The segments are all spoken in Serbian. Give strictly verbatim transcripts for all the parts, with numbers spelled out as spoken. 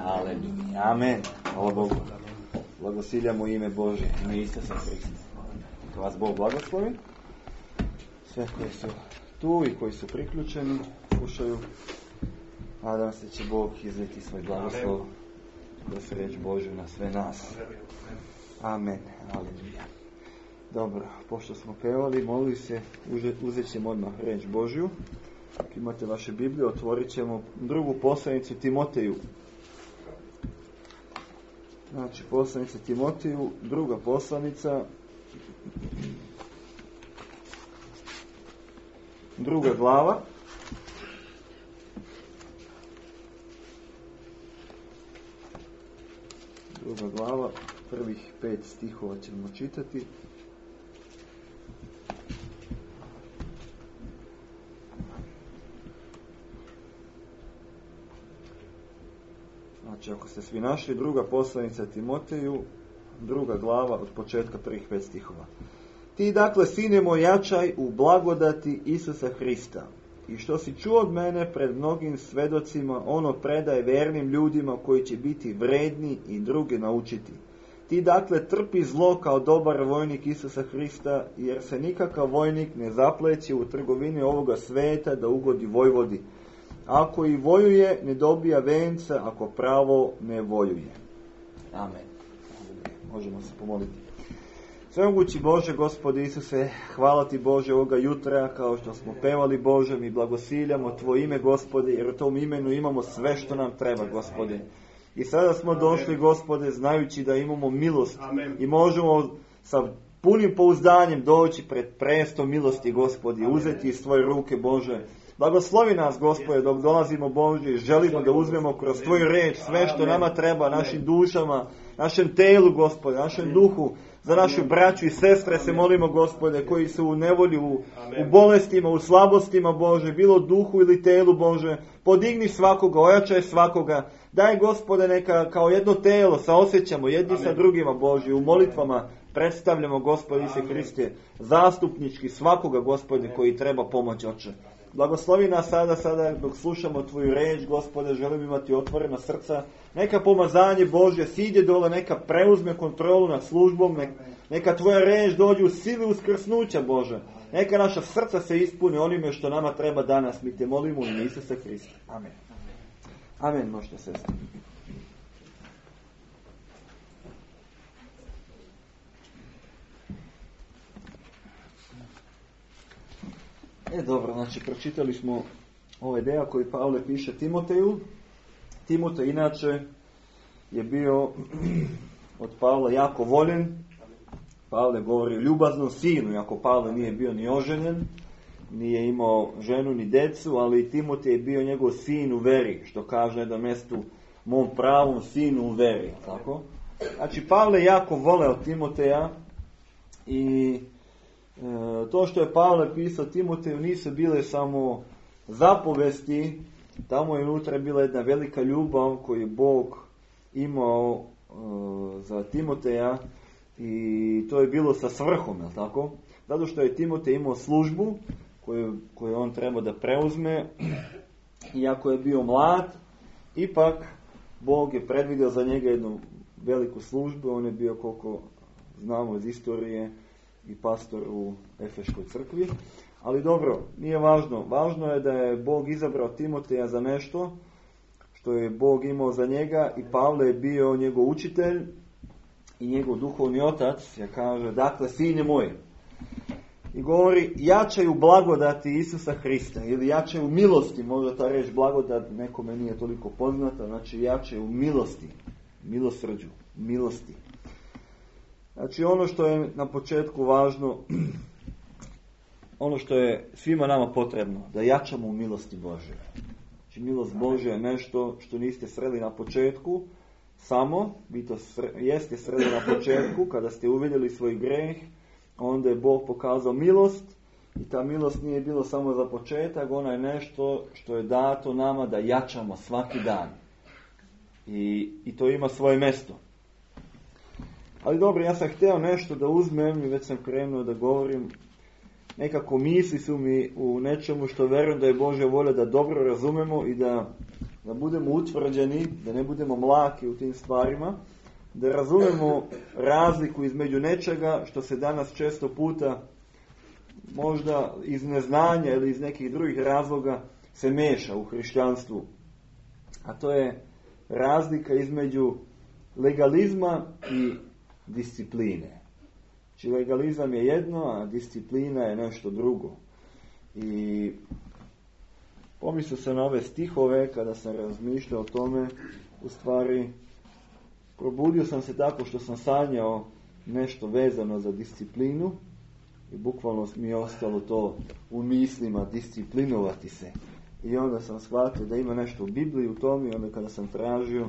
Aleluja. Amen. Hvala Bogu. Blagosiljamo ime Božje, ime Isusa Hrista. Neka vas Bog blagoslovi. Sve koji su tu i koji su priključeni, slušaju. Nadam se će Bog izliti svoj blagoslov kroz riječ Božju na sve nas. Amen. Aleluja. Dobro, pošto smo pevali, molili se, uzet ćemo odmah riječ Božju. Ako imate vaše Biblije, otvorit ćemo drugu poslanicu Timoteju. Znači, poslanica Timoteju, druga poslanica, druga glava. Druga glava, prvih pet stihova ćemo čitati. Znači, ako ste svi našli, druga poslanica Timoteju, druga glava od početka prvih pet stihova. Ti dakle, sine moj, jačaj u blagodati Isusa Hrista. I što si čuo od mene pred mnogim svedocima, ono predaj vernim ljudima koji će biti vredni i druge naučiti. Ti dakle trpi zlo kao dobar vojnik Isusa Hrista, jer se nikakav vojnik ne zapleće u trgovini ovoga sveta da ugodi vojvodi. Ako i vojuje, ne dobija venca, ako pravo ne vojuje. Amen. Možemo se pomoliti. Svemogući Bože, Gospode Isuse, hvala Ti Bože ovoga jutra, kao što smo pevali Bože, mi blagosiljamo Tvoje ime, Gospode, jer u tom imenu imamo sve što nam treba, Gospode. I sada smo došli, Gospode, znajući da imamo milost. Amen. I možemo sa punim pouzdanjem doći pred prestom milosti, Gospode, uzeti iz Tvoje ruke, Bože. Blagoslovi nas, Gospode, dok dolazimo, Bože, i želimo da uzmemo kroz Tvoju reč sve što nama treba, našim dušama, našem telu, Gospode, našem duhu, za našu braću i sestre se molimo, Gospode, koji su u nevolji, u, u bolestima, u slabostima, Bože, bilo duhu ili telu, Bože, podigni svakoga, ojačaj svakoga, daj, Gospode, neka kao jedno telo saosjećamo jedni sa drugima, Bože, u molitvama predstavljamo, Gospode Isuse Hriste, zastupnički svakoga, Gospode, koji treba pomoć, Oče. Blagoslovi nas sada, sada dok slušamo Tvoju reč, Gospode, želim imati otvorena srca. Neka pomazanje Božje siđe dole, neka preuzme kontrolu nad službom, neka Tvoja reč dođe u sili uskrsnuća, Bože. Neka naša srca se ispune onime što nama treba danas. Mi Te molimo u ime Isusa Hrista. Amen. Amen, možete sestre. E, dobro, znači, pročitali smo ovaj deo koji Pavle piše Timoteju. Timotej, inače, je bio od Pavla jako voljen. Pavle govori o ljubaznom sinu, iako Pavle nije bio ni oženjen, nije imao ženu ni decu, ali Timotej je bio njegov sin u veri, što kaže na jednom mjestu, mom pravom sinu u veri. Tako? Znači, Pavle jako voleo Timoteja i E, to što je Pavle pisao Timoteju nisu bile samo zapovesti, tamo je unutra bila jedna velika ljubav koju je Bog imao e, za Timoteja i to je bilo sa svrhom, je tako? Zato što je Timotej imao službu koju, koju on trebao da preuzme, iako je bio mlad, ipak Bog je predvidio za njega jednu veliku službu, on je bio, koliko znamo iz istorije, i pastor u Efeškoj crkvi. Ali dobro, nije važno. Važno je da je Bog izabrao Timoteja za nešto što je Bog imao za njega i Pavle je bio njegov učitelj i njegov duhovni otac. Ja kaže, dakle, sine moj. I govori, jačaj u blagodati Isusa Hrista ili jačaj u milosti. Možda ta reč blagodat nekome nije toliko poznata. Znači, jačaj u milosti. Milosrđu. Milosti. Znači, ono što je na početku važno, ono što je svima nama potrebno, da jačamo u milosti Božje. Znači, milost Božja je nešto što niste sreli na početku, samo, vi to sre, jeste sreli na početku, kada ste uvidjeli svoj greh, onda je Bog pokazao milost i ta milost nije bilo samo za početak, ona je nešto što je dato nama da jačamo svaki dan. I, i to ima svoje mjesto. Ali dobro, ja sam htio nešto da uzmem i već sam krenuo da govorim. Nekako misli su mi u nečemu što verujem da je Božja volja da dobro razumemo i da da budemo utvrđeni, da ne budemo mlaki u tim stvarima, da razumemo razliku između nečega što se danas često puta možda iz neznanja ili iz nekih drugih razloga se meša u hrišćanstvu. A to je razlika između legalizma i discipline. Znači legalizam je jedno, a disciplina je nešto drugo. I pomislio sam na ove stihove kada sam razmišljao o tome, u stvari probudio sam se tako što sam sanjao nešto vezano za disciplinu i bukvalno mi je ostalo to u mislima, disciplinovati se. I onda sam shvatio da ima nešto u Bibliji u tome i onda kada sam tražio,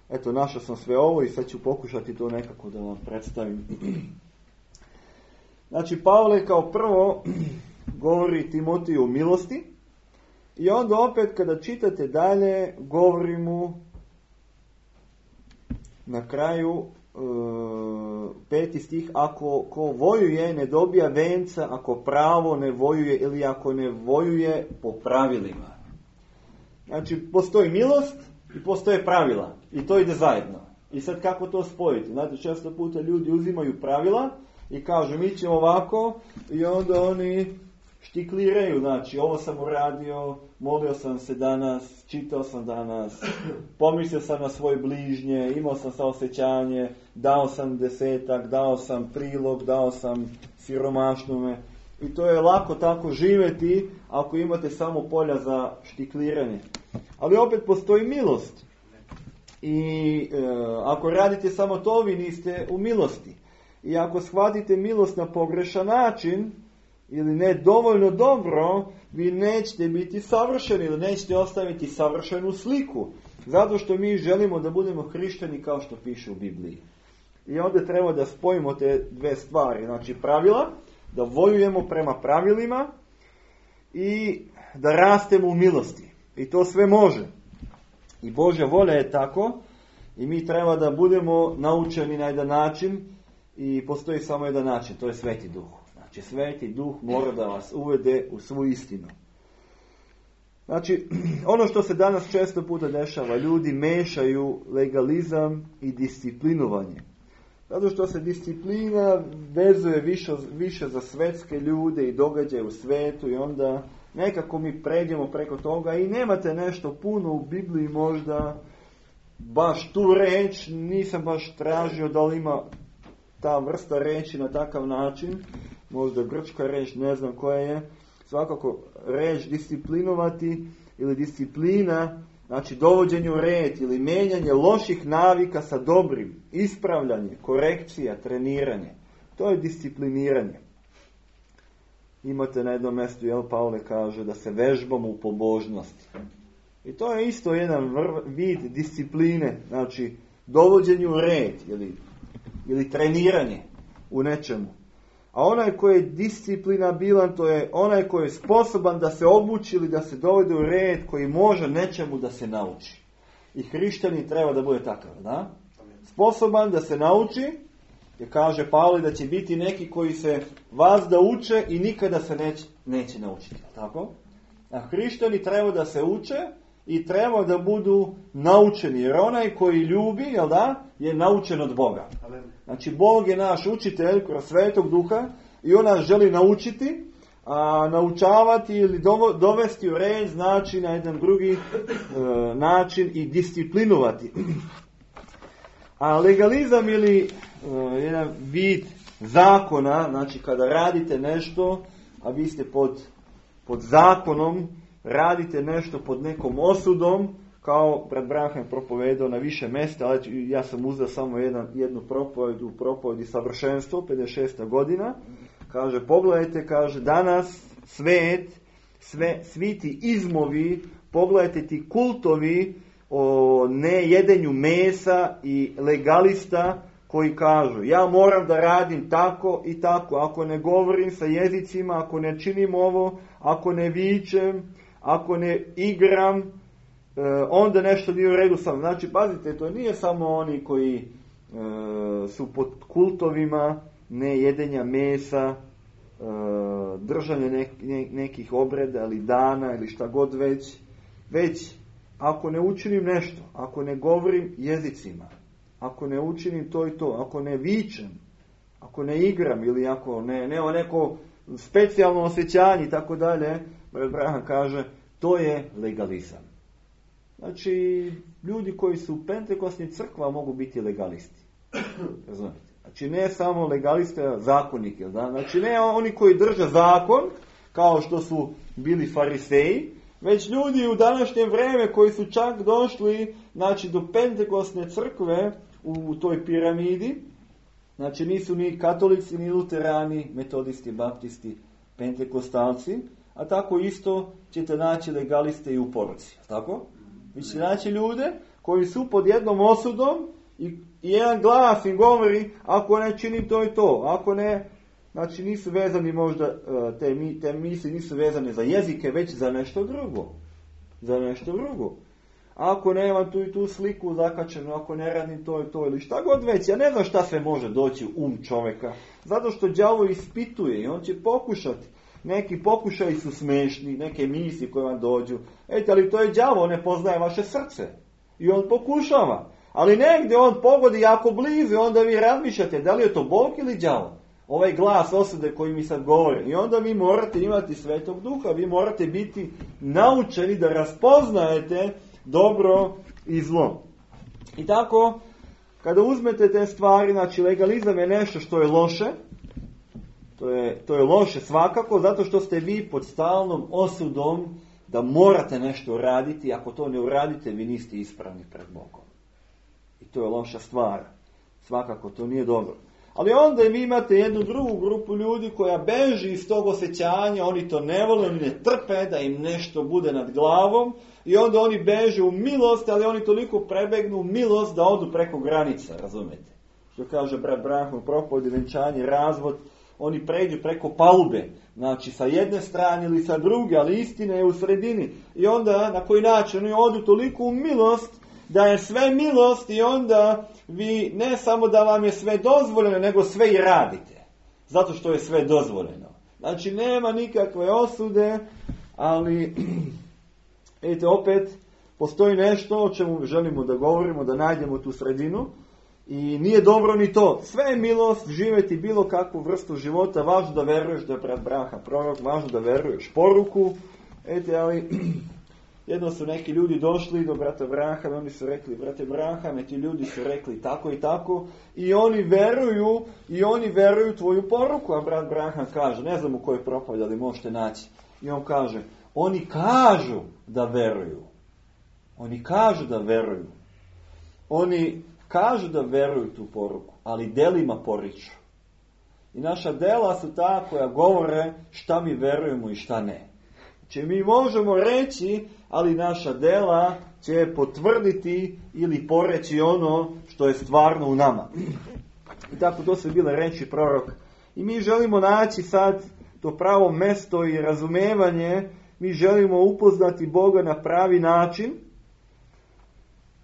eto našao sam sve ovo i sad ću pokušati to nekako da vam predstavim. Znači Pavle kao prvo govori Timoteju o milosti i onda opet kada čitate dalje govori mu na kraju e, peti stih, ako ko vojuje ne dobija venca, ako pravo ne vojuje ili ako ne vojuje po pravilima. Znači postoji milost i postoje pravila i to ide zajedno. I sad kako to spojiti? Znate, često puta ljudi uzimaju pravila i kažu mi ćemo ovako i onda oni štikliraju, znači ovo sam uradio, molio sam se danas, čitao sam danas, pomislio sam na svoje bližnje, imao sam saosjećanje, dao sam desetak, dao sam prilog, dao sam siromašnome. I to je lako tako živjeti ako imate samo polja za štikliranje. Ali opet postoji milost. I e, ako radite samo to, vi niste u milosti. I ako shvatite milost na pogrešan način, ili ne dovoljno dobro, vi nećete biti savršeni ili nećete ostaviti savršenu sliku. Zato što mi želimo da budemo hrišćani kao što piše u Bibliji. I onda treba da spojimo te dve stvari. Znači pravila, da vojujemo prema pravilima i da rastemo u milosti. I to sve može. I Božja volja je tako i mi treba da budemo naučeni na jedan način i postoji samo jedan način, to je Sveti Duh. Znači, Sveti Duh mora da vas uvede u svu istinu. Znači, ono što se danas često puta dešava, ljudi mešaju legalizam i disciplinovanje. Zato što se disciplina vezuje više, više za svetske ljude i događaje u svetu i onda nekako mi pređemo preko toga i nemate nešto puno u Bibliji možda, baš tu reč, nisam baš tražio da li ima ta vrsta reči na takav način, možda grčka reč, ne znam koja je, svakako reč disciplinovati ili disciplina, znači dovođenje u red ili menjanje loših navika sa dobrim, ispravljanje, korekcija, treniranje. To je discipliniranje. Imate na jednom mjestu, jel, Pavle kaže da se vežbamo u pobožnosti. I to je isto jedan vrv, vid discipline, znači dovođenje u red ili, ili treniranje u nečemu. A onaj koji je disciplinabilan, to je onaj koji je sposoban da se obuči ili da se dovede u red, koji može nečemu da se nauči. I hrišćanin treba da bude takav, da? Sposoban da se nauči, jer kaže Pavle da će biti neki koji se vas da uče i nikada se neće, neće naučiti. Tako? A hrišćani treba da se uče i treba da budu naučeni, jer onaj koji ljubi, jel da, je naučen od Boga. Znači, Bog je naš učitelj kroz Svetog Duha i on nas želi naučiti, a naučavati ili dovesti u red znači na jedan drugi e, način i disciplinovati. A legalizam ili e, jedan vid zakona, znači kada radite nešto, a vi ste pod, pod zakonom, radite nešto pod nekom osudom, kao brat Branham propovedao na više mjesta, ali ja sam uzeo samo jedan, jednu propoved u propovedi savršenstvo, pedeset šesta godina. Kaže, pogledajte, kaže, danas svet, sve, svi ti izmovi, pogledajte ti kultovi o nejedenju mesa i legalista koji kažu, ja moram da radim tako i tako, ako ne govorim sa jezicima, ako ne činim ovo, ako ne vičem, ako ne igram, onda nešto nije u redu sam. Znači, pazite, to nije samo oni koji e, su pod kultovima nejedenja mesa, e, držanje nek, ne, nekih obreda ili dana ili šta god već, već ako ne učinim nešto, ako ne govorim jezicima, ako ne učinim to i to, ako ne vičem, ako ne igram ili ako ne, nema neko specijalno osjećanje i tako dalje, brat Branham kaže, to je legalizam. Znači, ljudi koji su u pentekostnim crkvama mogu biti legalisti. Razumite? Znači, ne samo legaliste, zakonike. Da? Znači, ne oni koji drže zakon, kao što su bili fariseji, već ljudi u današnje vrijeme koji su čak došli, znači, do pentekostne crkve u, u toj piramidi. Znači, nisu ni katolici, ni luterani, metodisti, baptisti, pentekostalci, a tako isto ćete naći legaliste i u poruci. Tako? Vi ćete naći ljude koji su pod jednom osudom i jedan glas im govori, ako ne činim to i to, ako ne, znači nisu vezani možda, te, te misli nisu vezane za jezike, već za nešto drugo. Za nešto drugo. Ako nemam tu i tu sliku zakačenu, ako ne radim to i to ili šta god već, ja ne znam šta sve može doći u um čovjeka. Zato što đavo ispituje i on će pokušati. Neki pokušaji su smešni, neke misli koje vam dođu. Ejte, ali to je đavo, on ne poznaje vaše srce. I on pokušava. Ali negdje on pogodi jako blizu i onda vi razmišljate da li je to Bog ili đavo. Ovaj glas osude koji mi sad govori. I onda vi morate imati Svetog Duha, vi morate biti naučeni da raspoznajete dobro i zlo. I tako, kada uzmete te stvari, znači legalizam je nešto što je loše, to je, to je loše svakako, zato što ste vi pod stalnom osudom da morate nešto uraditi, ako to ne uradite, vi niste ispravni pred Bogom. I to je loša stvar. Svakako, to nije dobro. Ali onda vi imate jednu drugu grupu ljudi koja beži iz tog osjećanja, oni to ne vole, oni ne trpe da im nešto bude nad glavom i onda oni beže u milost, ali oni toliko prebegnu u milost da odu preko granica, razumete? Što kaže brat Branham u propovedi venčanje, razvod, oni pređu preko palube, znači sa jedne strane ili sa druge, ali istina je u sredini. I onda na koji način oni odu toliko u milost da je sve milost i onda vi ne samo da vam je sve dozvoljeno, nego sve i radite. Zato što je sve dozvoljeno. Znači nema nikakve osude, ali vidite, opet postoji nešto o čemu želimo da govorimo, da najdemo tu sredinu. I nije dobro ni to. Sve je milost, živjeti bilo kakvu vrstu života, važno da veruješ da je brat Branham prorok, važno da veruješ poruku. Ete, ali jedno su neki ljudi došli do brata Branhama, oni su rekli, brate Branhame, ti ljudi su rekli tako i tako, i oni veruju, i oni veruju tvoju poruku, a brat Branham kaže, ne znam u kojoj propovedi, ali možete naći. I on kaže, oni kažu da veruju. Oni kažu da veruju. Oni kažu da veruju tu poruku, ali delima poriču. I naša dela su ta koja govore šta mi verujemo i šta ne. Znači mi možemo reći, ali naša dela će potvrditi ili poreći ono što je stvarno u nama. I tako to su bile reči proroka. I mi želimo naći sad to pravo mesto i razumevanje, mi želimo upoznati Boga na pravi način,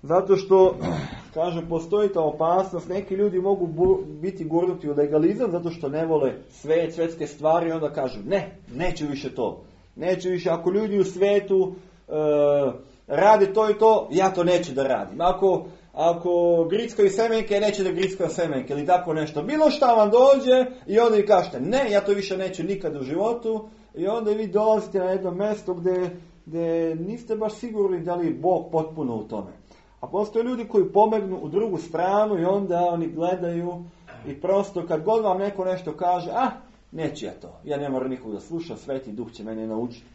zato što, kažem, postoji ta opasnost, neki ljudi mogu bu- biti gurnuti u legalizam zato što ne vole svet, svetske stvari i onda kažu, ne, neću više to. Neću više, ako ljudi u svetu e, rade to i to, ja to neću da radim. Ako, ako grickaju semenke, neću da grickaju semenke ili tako nešto. Bilo šta vam dođe i onda vi kažete, ne, ja to više neću nikad u životu i onda vi dolazite na jedno mjesto gdje, gdje niste baš sigurni da li je Bog potpuno u tome. A postoje ljudi koji pomegnu u drugu stranu i onda oni gledaju i prosto kad god vam neko nešto kaže, ah, neću ja to, ja ne moram nikog da slušam, Sveti Duh će mene naučiti.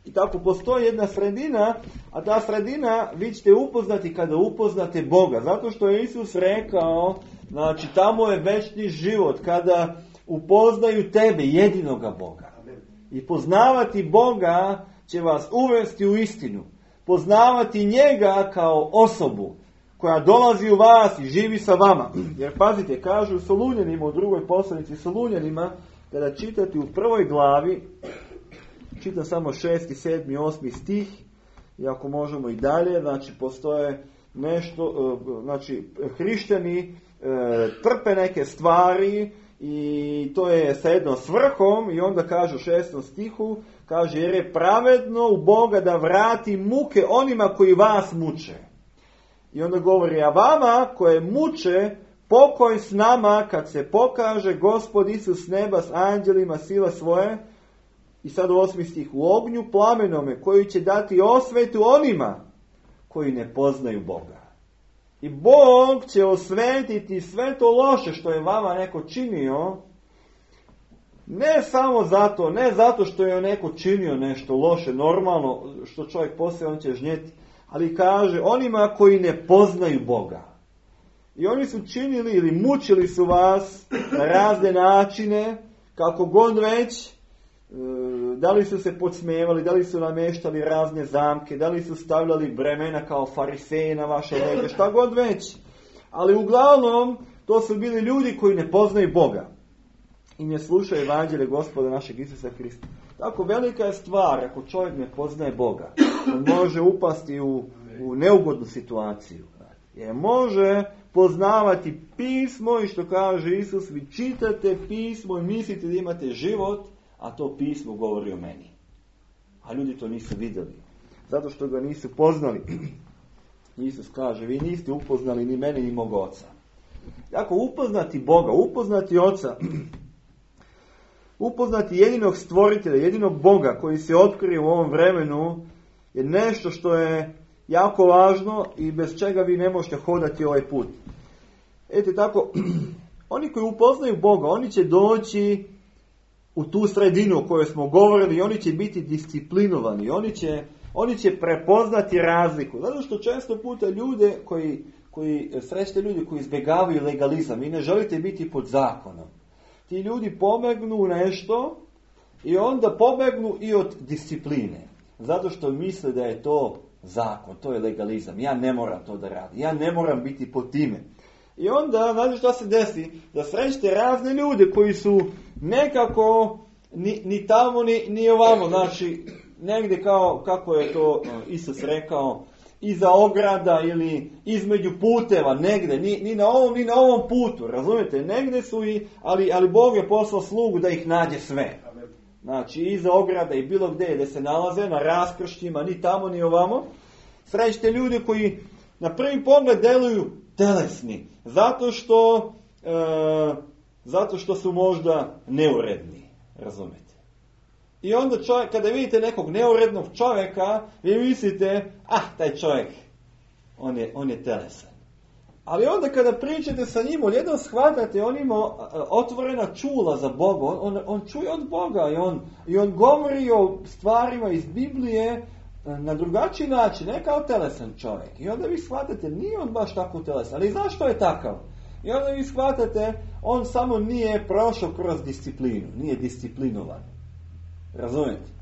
I tako postoji jedna sredina, a ta sredina vi ćete upoznati kada upoznate Boga. Zato što je Isus rekao, znači tamo je večni život, kada upoznaju tebe, jedinoga Boga. I poznavati Boga će vas uvesti u istinu. Poznavati njega kao osobu koja dolazi u vas i živi sa vama. Jer pazite, kažu Solunjanima, u drugoj poslanici Solunjanima, kada čitate u prvoj glavi, čitam samo šesti, sedmi, osmi stih, i ako možemo i dalje, znači postoje nešto, znači hrišćani trpe neke stvari i to je sa jednom svrhom, i onda kaže u šestom stihu, kaže, jer je pravedno u Boga da vrati muke onima koji vas muče. I onda govori, a vama koje muče, pokoj s nama kad se pokaže Gospod Isus s neba s anđelima sila svoje. I sad u osmi stih, u ognju plamenome koji će dati osvetu onima koji ne poznaju Boga. I Bog će osvetiti sve to loše što je vama neko činio, ne samo zato, ne zato što je neko činio nešto loše, normalno, što čovjek poslije on će žnjeti, ali kaže onima koji ne poznaju Boga. I oni su činili ili mučili su vas na razne načine, kako god već, da li su se podsmijevali, da li su nameštali razne zamke, da li su stavljali bremena kao fariseji na vaše leđa, šta god već. Ali uglavnom, to su bili ljudi koji ne poznaju Boga i ne slušaju evanđelje Gospoda našeg Isusa Hrista. Tako velika je stvar, ako čovjek ne poznaje Boga, on može upasti u, u neugodnu situaciju. Jer može poznavati pismo i što kaže Isus, vi čitate pismo i mislite da imate život, a to pismo govori o meni. A ljudi to nisu vidjeli. Zato što ga nisu poznali. Isus kaže, vi niste upoznali ni mene ni mog oca. Ako upoznati Boga, upoznati oca, upoznati jedinog stvoritelja, jedinog Boga koji se otkrije u ovom vremenu, je nešto što je jako važno i bez čega vi ne možete hodati ovaj put. Eto tako, oni koji upoznaju Boga, oni će doći u tu sredinu o kojoj smo govorili i oni će biti disciplinovani, oni će, oni će prepoznati razliku. Zato što često puta ljude koji, koji srećete ljudi koji izbjegavaju legalizam, vi ne želite biti pod zakonom. Ti ljudi pobegnu u nešto i onda pobegnu i od discipline. Zato što misle da je to zakon, to je legalizam. Ja ne moram to da radim, ja ne moram biti pod time. I onda, znači što se desi? Da srećete razne ljude koji su nekako ni, ni tamo ni, ni ovamo, znači negdje kao, kako je to Isus rekao, iza ograda ili između puteva, negdje, ni, ni na ovom ni na ovom putu, razumijete? Negdje su i, ali, ali Bog je poslao slugu da ih nađe sve. Znači iza ograda i bilo gdje da se nalaze, na raskršćima, ni tamo ni ovamo. Srećete ljude koji na prvi pogled deluju telesni, zato što, e, zato što su možda neuredni, razumijete. I onda čovjek, kada vidite nekog neurednog čovjeka, vi mislite, ah, taj čovjek, on je, on je telesan. Ali onda kada pričate sa njim, odjednom shvatate, on ima otvorena čula za Boga, on, on, on čuje od Boga i on, i on govori o stvarima iz Biblije na drugačiji način, ne kao telesan čovjek. I onda vi shvatate, nije on baš tako telesan, ali zašto je takav? I onda vi shvatate, on samo nije prošao kroz disciplinu, nije disciplinovan. Razumijete?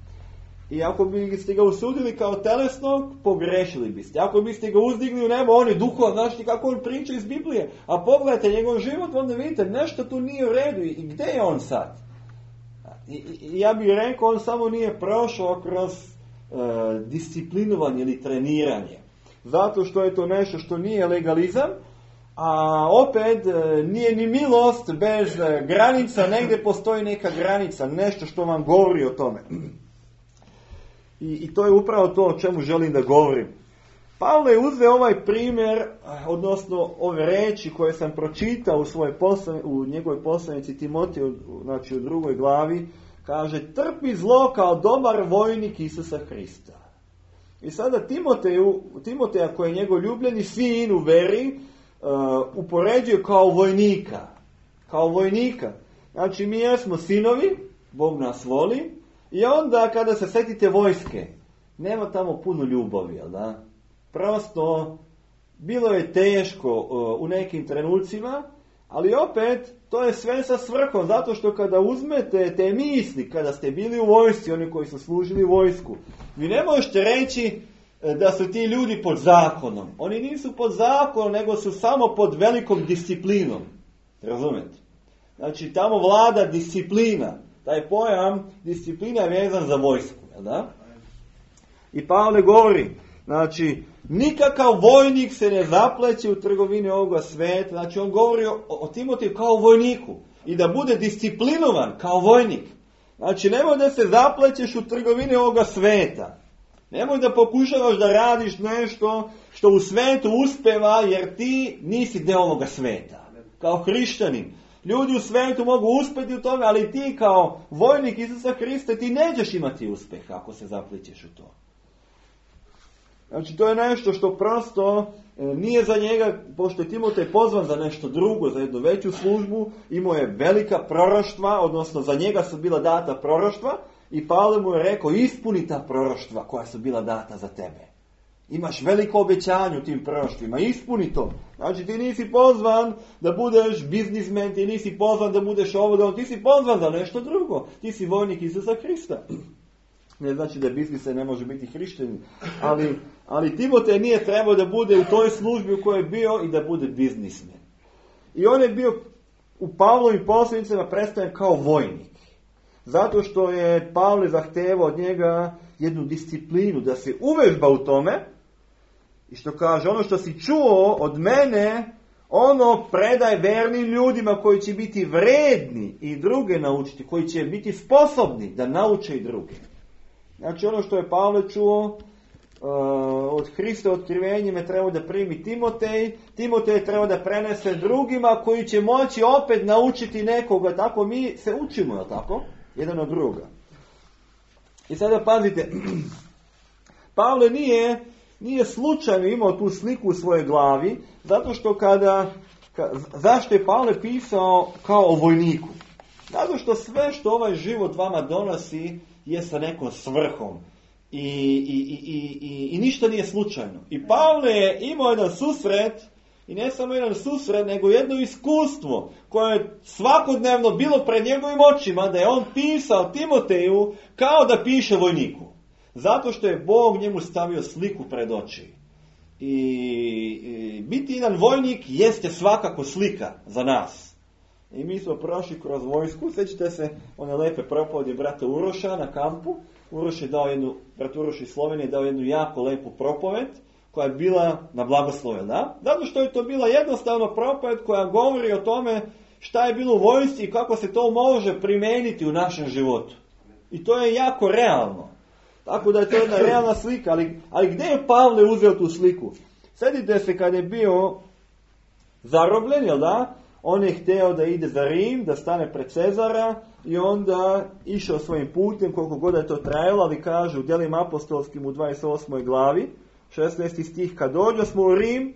I ako biste ga usudili kao telesnog, pogrešili biste. Ako biste ga uzdigli u nebo, on je duhovan, znači kako on priča iz Biblije. A pogledajte njegov život, onda vidite, nešto tu nije u redu. I gdje je on sad? I, i ja bih rekao, on samo nije prošao kroz uh, disciplinovanje ili treniranje. Zato što je to nešto što nije legalizam, a opet uh, nije ni milost bez uh, granica, negdje postoji neka granica, nešto što vam govori o tome. I, I to je upravo to o čemu želim da govorim. Pavle je uzeo ovaj primjer, odnosno ove reči koje sam pročitao u, svojoj poslan, u njegovoj poslanici Timotiju, znači u drugoj glavi, kaže, trpi zlo kao dobar vojnik Isusa Hrista. I sada Timoteju, Timoteja koji je njegov ljubljeni sin u veri, uh, upoređuje kao vojnika. Kao vojnika. Znači mi jesmo sinovi, Bog nas voli, i onda kada se setite vojske, nema tamo puno ljubavi, jel da? Prosto, bilo je teško uh, u nekim trenucima, ali opet, to je sve sa svrhom, zato što kada uzmete te misli, kada ste bili u vojsci, oni koji su služili vojsku, vi ne možete reći da su ti ljudi pod zakonom. Oni nisu pod zakonom, nego su samo pod velikom disciplinom. Razumete? Znači, tamo vlada disciplina. Taj pojam disciplina je vezan za vojsku, da? I Pavle govori, znači, nikakav vojnik se ne zapleće u trgovini ovoga sveta. Znači, on govori o, o Timoteju kao vojniku. i da bude disciplinovan kao vojnik. Znači, nemoj da se zaplećeš u trgovine ovoga sveta. Nemoj da pokušavaš da radiš nešto što u svetu uspeva, jer ti nisi deo ovoga sveta. Kao hrišćanin. Ljudi u svetu mogu uspjeti u tome, ali ti kao vojnik Isusa Hrista, ti nećeš imati uspjeh ako se zaplićeš u to. Znači, to je nešto što prosto e, nije za njega, pošto je Timotej pozvan za nešto drugo, za jednu veću službu, imao je velika proroštva, odnosno za njega su bila data proroštva, i Pavle mu je rekao, ispuni ta proroštva koja su bila data za tebe. Imaš veliko obećanje u tim proroštvima, ispuni to. Znači, ti nisi pozvan da budeš biznismen, ti nisi pozvan da budeš ovo, ti si pozvan za nešto drugo. Ti si vojnik Isusa Hrista. Ne znači da biznismen ne može biti hrišćanin, ali, ali Timotej nije trebao da bude u toj službi u kojoj je bio i da bude biznismen. I on je bio u Pavlovim poslanicama predstavljen kao vojnik. Zato što je Pavle zahtevao od njega jednu disciplinu, da se uvežba u tome, i što kaže, ono što si čuo od mene, ono predaj vernim ljudima koji će biti vredni i druge naučiti, koji će biti sposobni da nauče i druge. Znači, ono što je Pavle čuo uh, od Hrista otkrivenjem je trebao da primi Timotej. Timotej je trebao da prenese drugima koji će moći opet naučiti nekoga. Tako mi se učimo, je tako? Jedan od druga. I sada pazite, Pavle nije, nije slučajno imao tu sliku u svojoj glavi, zato što kada, ka, zašto je Pavle pisao kao o vojniku? Zato što sve što ovaj život vama donosi je sa nekom svrhom i, i, i, i, i ništa nije slučajno. I Pavle je imao jedan susret, i ne samo jedan susret, nego jedno iskustvo koje je svakodnevno bilo pred njegovim očima, da je on pisao Timoteju kao da piše vojniku. Zato što je Bog njemu stavio sliku pred oči. I, i biti jedan vojnik jeste svakako slika za nas. I mi smo prošli kroz vojsku, sjećate se one lepe propovedi brata Uroša na kampu. Uroš je dao jednu, brat Uroš iz Slovenije dao jednu jako lepu propoved, koja je bila na blagoslove, da? Zato što je to bila jednostavno propoved koja govori o tome šta je bilo u vojsci i kako se to može primijeniti u našem životu. I to je jako realno. Tako da je to jedna realna slika. Ali, ali gdje je Pavle uzeo tu sliku? Sjetite se kad je bio zarobljen, jel da? On je htio da ide za Rim, da stane pred Cezara i onda išao svojim putem, koliko god je to trajalo, ali kaže u Djelima apostolskim u dvadeset osmoj glavi, šesnaesti stih, kad dođo smo u Rim,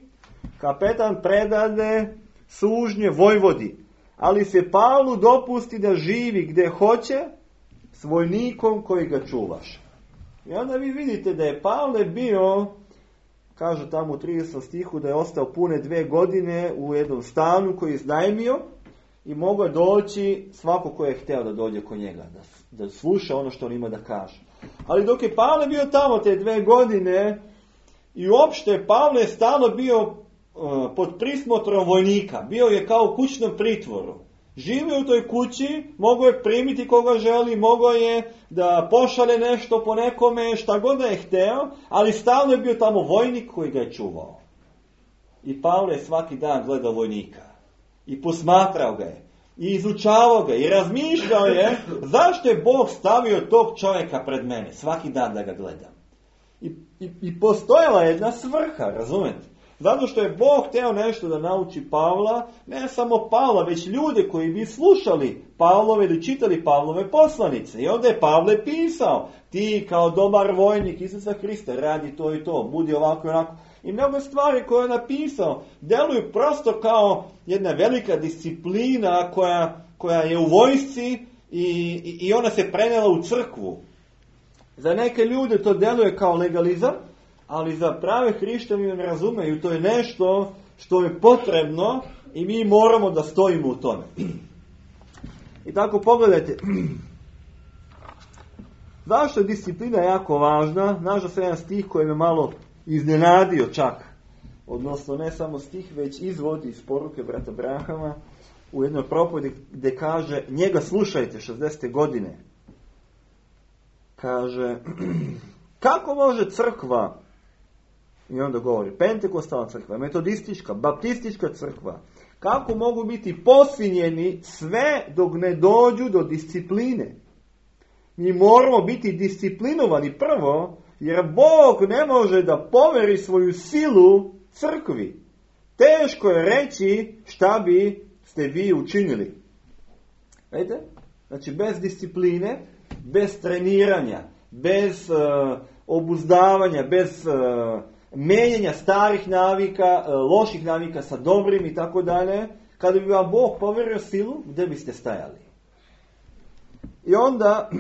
kapetan predade sužnje vojvodi, ali se Pavlu dopusti da živi gdje hoće s vojnikom koji ga čuvaš. I onda vi vidite da je Pavle bio, kaže tamo u tridesetom stihu, da je ostao pune dve godine u jednom stanu koji je iznajmio i mogao doći svako ko je htio da dođe kod njega, da, da sluša ono što on ima da kaže. Ali dok je Pavle bio tamo te dve godine, i uopšte Pavle je stalno bio uh, pod prismotrom vojnika. Bio je kao u kućnom pritvoru. Živio u toj kući, mogao je primiti koga želi, mogao je da pošalje nešto po nekome, šta god da je hteo, ali stalno je bio tamo vojnik koji ga je čuvao. I Pavle je svaki dan gledao vojnika. I posmatrao ga je. I izučavao ga. I razmišljao je zašto je Bog stavio tog čovjeka pred mene. Svaki dan da ga gledam. I, i, i postojala je jedna svrha, razumete? Zato što je Bog hteo nešto da nauči Pavla, ne samo Pavla, već ljude koji bi slušali Pavlove ili čitali Pavlove poslanice. I onda je Pavle pisao, ti kao dobar vojnik Isusa Hrista radi to i to, budi ovako i onako. I mnogo stvari koje je napisao deluju prosto kao jedna velika disciplina koja, koja je u vojsci i, i, i ona se prenela u crkvu. Za neke ljude to deluje kao legalizam, ali za prave hrišćane ne razumeju. To je nešto što je potrebno i mi moramo da stojimo u tome. I tako pogledajte. Zašto je disciplina jako važna? Našao sam jedan stih koji me malo iznenadio čak. Odnosno ne samo stih, već izvod iz poruke brata Brahama u jednoj propovedi gdje kaže, njega slušajte šezdesete godine. Kaže, kako može crkva I onda govori, pentekostalna crkva, metodistička, baptistička crkva, kako mogu biti posvinjeni sve dok ne dođu do discipline. Mi moramo biti disciplinovani prvo, jer Bog ne može da poveri svoju silu crkvi. Teško je reći šta bi ste vi učinili. Vidite? Znači, bez discipline, bez treniranja, bez uh, obuzdavanja, bez uh, menjanja starih navika, uh, loših navika sa dobrim i tako dalje, kada bi vam Bog poverio silu, gdje biste stajali? I onda,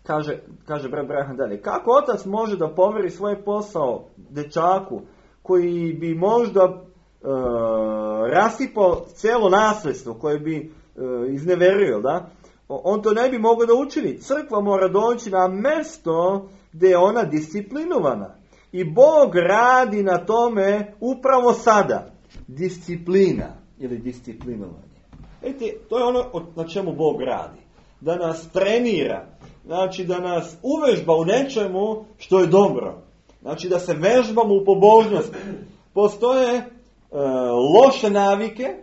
kaže, kaže brat Braham dalje, kako otac može da poveri svoj posao dečaku koji bi možda uh, rasipao cijelo nasljedstvo, koje bi uh, izneverio, da? On to ne bi mogao da učini. Crkva mora doći na mjesto gdje je ona disciplinovana. I Bog radi na tome upravo sada. Disciplina ili disciplinovanje. Vidite, to je ono na čemu Bog radi. Da nas trenira. Znači da nas uvežba u nečemu što je dobro. Znači da se vežbamo u pobožnosti. Postoje e, loše navike,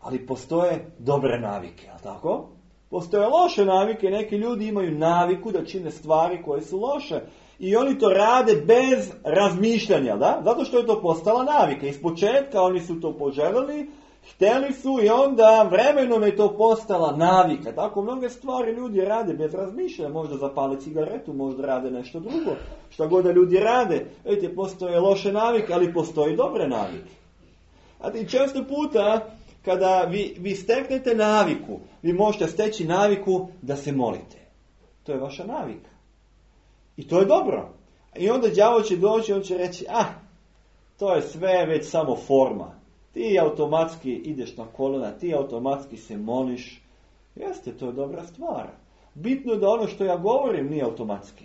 ali postoje dobre navike. Je li tako? Postoje loše navike, neki ljudi imaju naviku da čine stvari koje su loše. I oni to rade bez razmišljanja, da? Zato što je to postala navika. Iz početka oni su to poželjeli, htjeli su i onda vremenom je to postala navika. Tako mnoge stvari ljudi rade bez razmišljanja. Možda zapale cigaretu, možda rade nešto drugo. Šta god da ljudi rade. Vidite, postoje loše navike, ali postoje dobre navike. A ti često puta kada vi, vi steknete naviku, vi možete steći naviku da se molite. To je vaša navika. I to je dobro. I onda đavo će doći i on će reći, ah, to je sve već samo forma. Ti automatski ideš na kolena, ti automatski se moliš. Jeste, to je dobra stvar. Bitno je da ono što ja govorim nije automatski.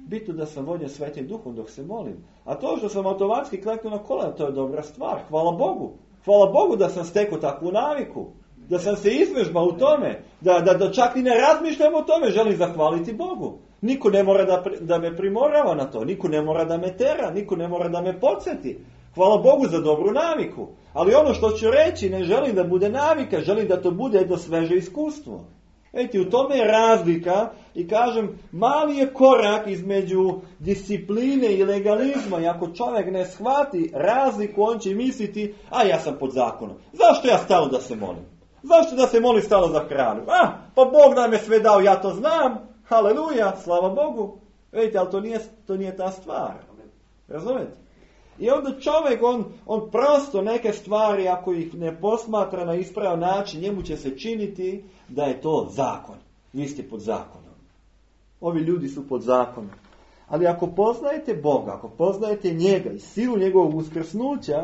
Bitno da sam vođen Svetim Duhom dok se molim. A to što sam automatski kleknuo na kolena, to je dobra stvar. Hvala Bogu. Hvala Bogu da sam stekao takvu naviku. Da sam se izvežbao u tome. Da, da, da čak i ne razmišljam o tome. Želim zahvaliti Bogu. Niko ne mora da, da me primorava na to. Niko ne mora da me tera. Niko ne mora da me podsjeti. Hvala Bogu za dobru naviku. Ali ono što ću reći, ne želim da bude navika. Želim da to bude jedno sveže iskustvo. Vidite, u tome je razlika i kažem, mali je korak između discipline i legalizma i ako čovjek ne shvati razliku, on će misliti, a ja sam pod zakonom. Zašto ja stalo da se molim? Zašto da se molim stalo za hranu? A, pa Bog nam je sve dao, ja to znam, haleluja, slava Bogu. Vidite, ali to nije, to nije ta stvar. Razumete? I onda čovjek, on, on prosto neke stvari, ako ih ne posmatra na ispravan način, njemu će se činiti da je to zakon. Vi ste pod zakonom. Ovi ljudi su pod zakonom. Ali ako poznajete Boga, ako poznajete njega i silu njegovog uskrsnuća,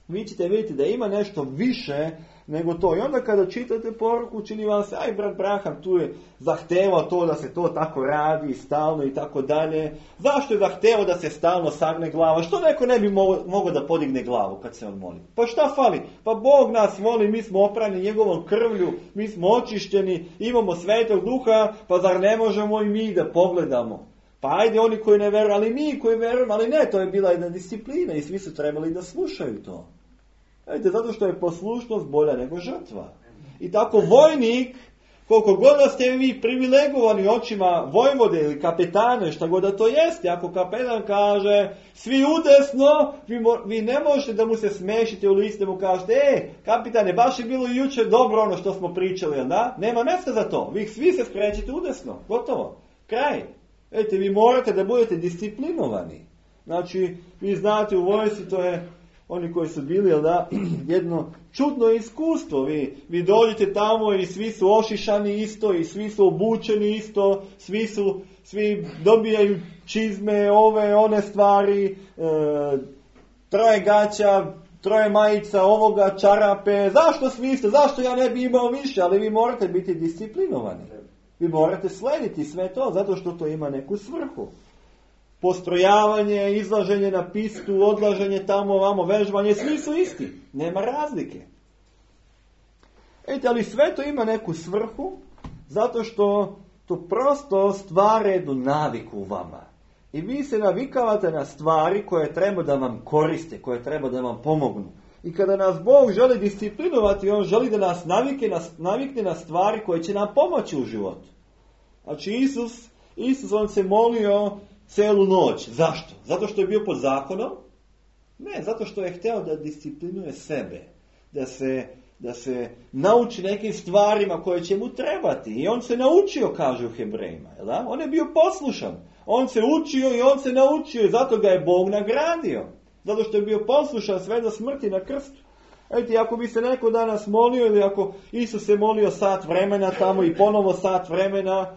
vi ćete vidjeti da ima nešto više nego to. I onda kada čitate poruku, čini vam se, aj brat Braham tu je zahtevao to da se to tako radi stalno i tako dalje. Zašto je zahtevao da se stalno sagne glava? Što neko ne bi mogao da podigne glavu kad se on moli? Pa šta fali? Pa Bog nas voli, mi smo oprani njegovom krvlju, mi smo očišćeni, imamo Svetog Duha, pa zar ne možemo i mi da pogledamo? Pa ajde oni koji ne veruju, ali mi koji verujemo, ali ne, to je bila jedna disciplina i svi su trebali da slušaju to. Vidite, zato što je poslušnost bolja nego žrtva. I tako vojnik, koliko god da ste vi privilegovani očima vojvode ili kapetane, šta god da to jeste, ako kapetan kaže svi udesno, vi, mo, vi ne možete da mu se smešite u lice, da mu kažete, e, kapitane, baš je bilo jučer dobro ono što smo pričali, da? Nema mjesta za to. Vi svi se skrećete udesno. Gotovo. Kraj. Vidite, vi morate da budete disciplinovani. Znači, vi znate u vojsci, to je oni koji su bili, jel da, jedno čudno iskustvo. Vi, vi dođete tamo i svi su ošišani isto i svi su obučeni isto, svi su, svi dobijaju čizme, ove, one stvari, e, troje gaća, troje majica, ovoga, čarape. Zašto svi isto? Zašto ja ne bi imao više? Ali vi morate biti disciplinovani. Vi morate slediti sve to, zato što to ima neku svrhu. Postrojavanje, izlaženje na pistu, odlaženje tamo, vamo, vežbanje, svi su isti. Nema razlike. Ejte, ali sve to ima neku svrhu, zato što to prosto stvara jednu naviku u vama. I vi se navikavate na stvari koje treba da vam koriste, koje treba da vam pomognu. I kada nas Bog želi disciplinovati, on želi da nas navike, nas, navikne na stvari koje će nam pomoći u životu. Znači Isus, Isus on se molio celu noć. Zašto? Zato što je bio pod zakonom? Ne, zato što je hteo da disciplinuje sebe. Da se, da se nauči nekim stvarima koje će mu trebati. I on se naučio, kaže u Hebrejima. Da? On je bio poslušan. On se učio i on se naučio i zato ga je Bog nagradio. Zato što je bio poslušan sve do smrti na krstu. Eto, ako bi se neko danas molio ili ako Isus se molio sat vremena tamo i ponovo sat vremena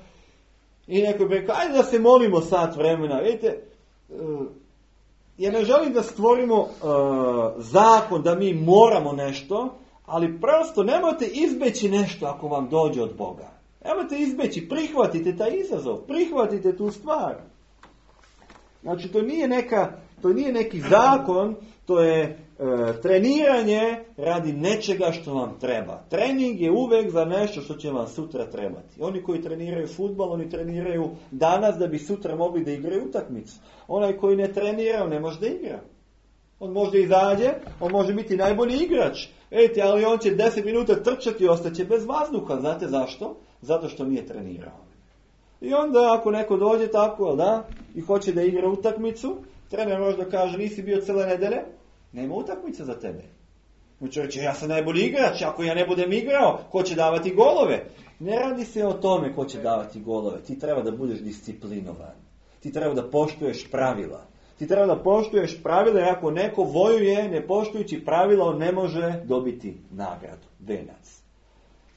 i neko bi rekao, ajde da se molimo sat vremena. Vidite, uh, ja ne želim da stvorimo uh, zakon da mi moramo nešto, ali prosto nemojte izbeći nešto ako vam dođe od Boga. Nemojte izbeći, prihvatite taj izazov, prihvatite tu stvar. Znači, to nije neka, to nije neki zakon, to je e, treniranje radi nečega što vam treba. Trening je uvek za nešto što će vam sutra trebati. Oni koji treniraju fudbal, oni treniraju danas da bi sutra mogli da igraju utakmicu. Onaj koji ne trenira, on ne može da igra. On može izađe, on može biti najbolji igrač. Ejte, ali on će deset minuta trčati i ostaće bez vazduha. Znate zašto? Zato što nije trenirao. I onda ako neko dođe tako, da, i hoće da igra utakmicu, trener može da kaže, nisi bio cijele nedelje, nema utakmice za tebe. Znači reći, ja sam najbolji igrač, ako ja ne budem igrao, ko će davati golove? Ne radi se o tome ko će davati golove. Ti treba da budeš disciplinovan. Ti treba da poštuješ pravila. Ti treba da poštuješ pravila, jer ako neko vojuje, ne poštujući pravila, on ne može dobiti nagradu, venac.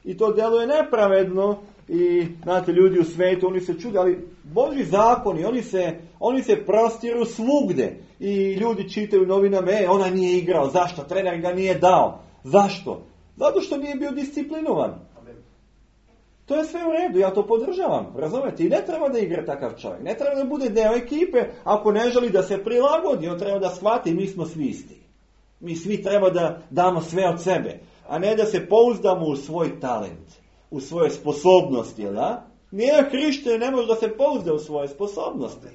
I to djeluje nepravedno i, znate, ljudi u svijetu, oni se čude, ali Božji zakoni, oni se, oni se prostiru svugde. I ljudi čitaju novinama, e, ona nije igrao, zašto? Trener ga nije dao. Zašto? Zato što nije bio disciplinovan. To je sve u redu, ja to podržavam, razumete? I ne treba da igra takav čovjek, ne treba da bude deo ekipe, ako ne želi da se prilagodi, on treba da shvati, mi smo svi isti. Mi svi treba da damo sve od sebe, a ne da se pouzdamo u svoj talent, u svoje sposobnosti, da? Nije hrišćanin, ne može da se pouzda u svoje sposobnosti.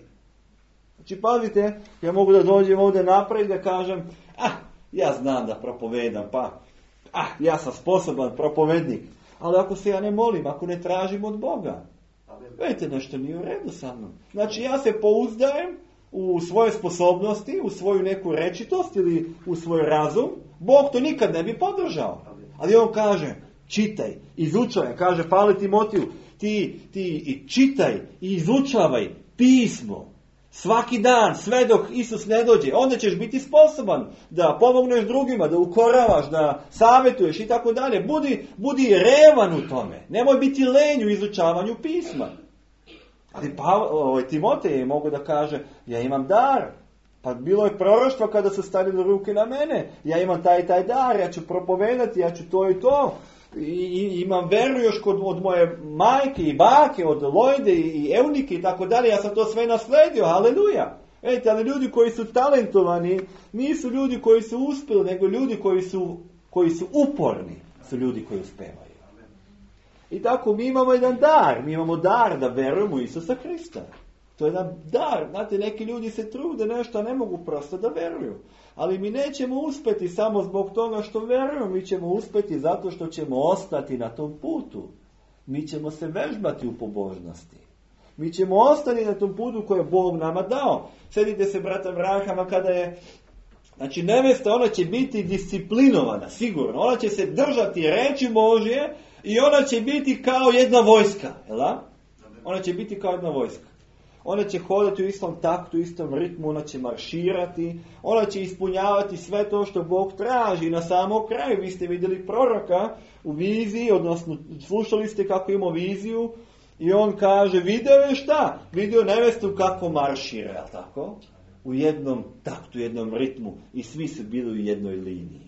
Znači, pazite, ja mogu da dođem ovdje napred i da kažem, ah, ja znam da propovedam, pa, ah, ja sam sposoban propovednik. Ali ako se ja ne molim, ako ne tražim od Boga, vidite, nešto nije u redu sa mnom. Znači, ja se pouzdajem u svoje sposobnosti, u svoju neku rečitost ili u svoj razum. Bog to nikad ne bi podržao. Ali on kaže, čitaj, izučavaj, kaže Pavle Timotiju, ti, ti i čitaj i izučavaj pismo. Svaki dan, sve dok Isus ne dođe, onda ćeš biti sposoban da pomogneš drugima, da ukoravaš, da savjetuješ i tako dalje. Budi, budi revan u tome. Nemoj biti lenj u izučavanju pisma. Ali pa, ovaj, Timotej je mogo da kaže, ja imam dar. Pa bilo je proroštvo kada su stavili ruke na mene. Ja imam taj taj dar, ja ću propovedati, ja ću to i to. I, i imam veru još kod, od moje majke i bake, od Lojde i, i Eunike i tako dalje. Ja sam to sve nasledio, haleluja. Vidite, ali ljudi koji su talentovani nisu ljudi koji su uspjeli, nego ljudi koji su, koji su uporni su ljudi koji uspevaju. I tako mi imamo jedan dar. Mi imamo dar da verujemo u Isusa Hrista. To je jedan dar. Znate, neki ljudi se trude nešto, a ne mogu prosto da veruju. Ali mi nećemo uspjeti samo zbog toga što verujemo. Mi ćemo uspjeti zato što ćemo ostati na tom putu. Mi ćemo se vežbati u pobožnosti. Mi ćemo ostati na tom putu koje je Bog nama dao. Sjedite se, brata Vrahama, kada je... Znači, nevesta, ona će biti disciplinovana, sigurno. Ona će se držati reči Božje i ona će biti kao jedna vojska. Jel da? Ona će biti kao jedna vojska. Ona će hodati u istom taktu, u istom ritmu, ona će marširati, ona će ispunjavati sve to što Bog traži. Na samom kraju vi ste vidjeli proroka u viziji, odnosno slušali ste kako ima viziju i on kaže, video je šta? Video nevestu kako maršira, jel tako? U jednom taktu, u jednom ritmu i svi su bili u jednoj liniji.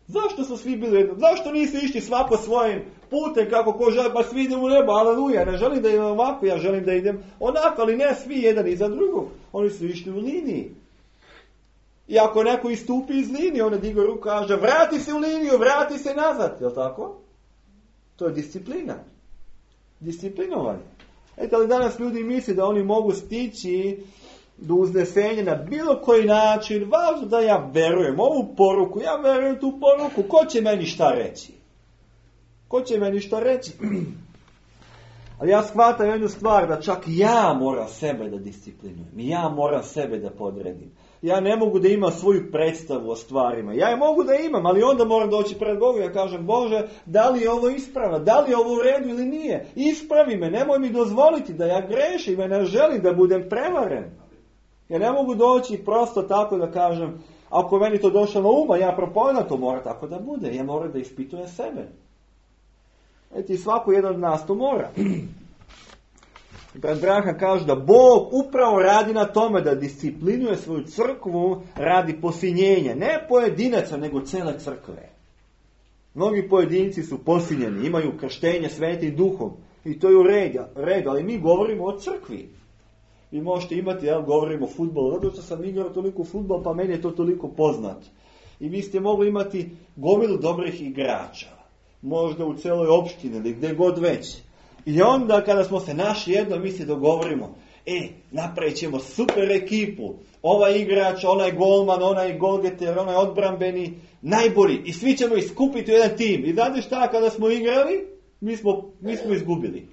Zašto su svi bili u jednom? Zašto nisu išli svako svojim putem kako ko želi, pa svi idem u nebo, aleluja, ne želim da idem ovako, ja želim da idem onako, ali ne svi jedan iza drugog. Oni su išli u liniji. I ako neko istupi iz linije, on digo ruku, kaže, vrati se u liniju, vrati se nazad, je li tako? To je disciplina. Disciplinovanje. Eto, ali danas ljudi misle da oni mogu stići do uznesenja na bilo koji način, važno da ja verujem ovu poruku, ja verujem tu poruku, ko će meni šta reći? Ko će meni šta reći? Ali ja shvatam jednu stvar, da čak ja moram sebe da disciplinujem, ja moram sebe da podredim. Ja ne mogu da imam svoju predstavu o stvarima. Ja je mogu da imam, ali onda moram doći pred Bogu i ja kažem, Bože, da li je ovo ispravno, da li je ovo u redu ili nije? Ispravi me, nemoj mi dozvoliti da ja grešim, ja ne želim da budem prevaren. Ja ne mogu doći prosto tako da kažem, ako meni to došlo na uma, ja propovedam, to mora tako da bude. Ja moram da ispitujem sebe. Eto, i svako jedan od nas to mora. Brat Branham kaže da Bog upravo radi na tome da disciplinuje svoju crkvu radi posinjenja. Ne pojedinaca, nego cele crkve. Mnogi pojedinci su posinjeni, imaju krštenje svetim duhom. I to je u redu, ali mi govorimo o crkvi. Vi možete imati, ja govorim o fudbalu, zato što sam igrao toliko fudbal, pa meni je to toliko poznat. I vi ste mogli imati gomilu dobrih igrača. Možda u celoj opštini ili gdje god već. I onda kada smo se našli jedno, mi se dogovorimo, e, napravit ćemo super ekipu, ovaj igrač, onaj golman, onaj golgeter, onaj odbrambeni, najbolji, i svi ćemo iskupiti u jedan tim. I znate šta, kada smo igrali, mi smo, mi smo izgubili.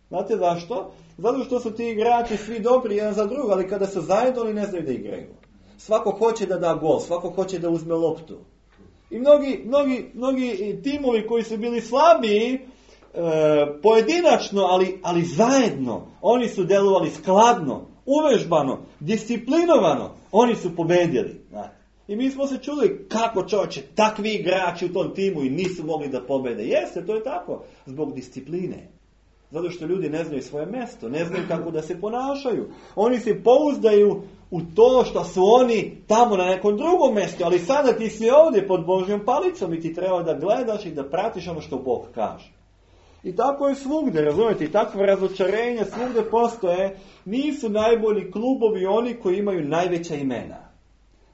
Znate zašto? Zato što su ti igrači svi dobri jedan za drug, ali kada su zajedno oni ne znaju da igraju. Svako hoće da da gol, svako hoće da uzme loptu. I mnogi, mnogi, mnogi timovi koji su bili slabiji, e, pojedinačno, ali, ali zajedno, oni su delovali skladno, uvežbano, disciplinovano, oni su pobedili. Znate. I mi smo se čuli kako čovječe, takvi igrači u tom timu i nisu mogli da pobede. Jeste, to je tako, zbog discipline. Zato što ljudi ne znaju svoje mjesto, ne znaju kako da se ponašaju. Oni se pouzdaju u to što su oni tamo na nekom drugom mjestu, ali sada ti si ovdje pod Božjom palicom i ti treba da gledaš i da pratiš ono što Bog kaže. I tako je svugdje, razumijete, i takve razočarenja svugdje postoje. Nisu najbolji klubovi oni koji imaju najveća imena,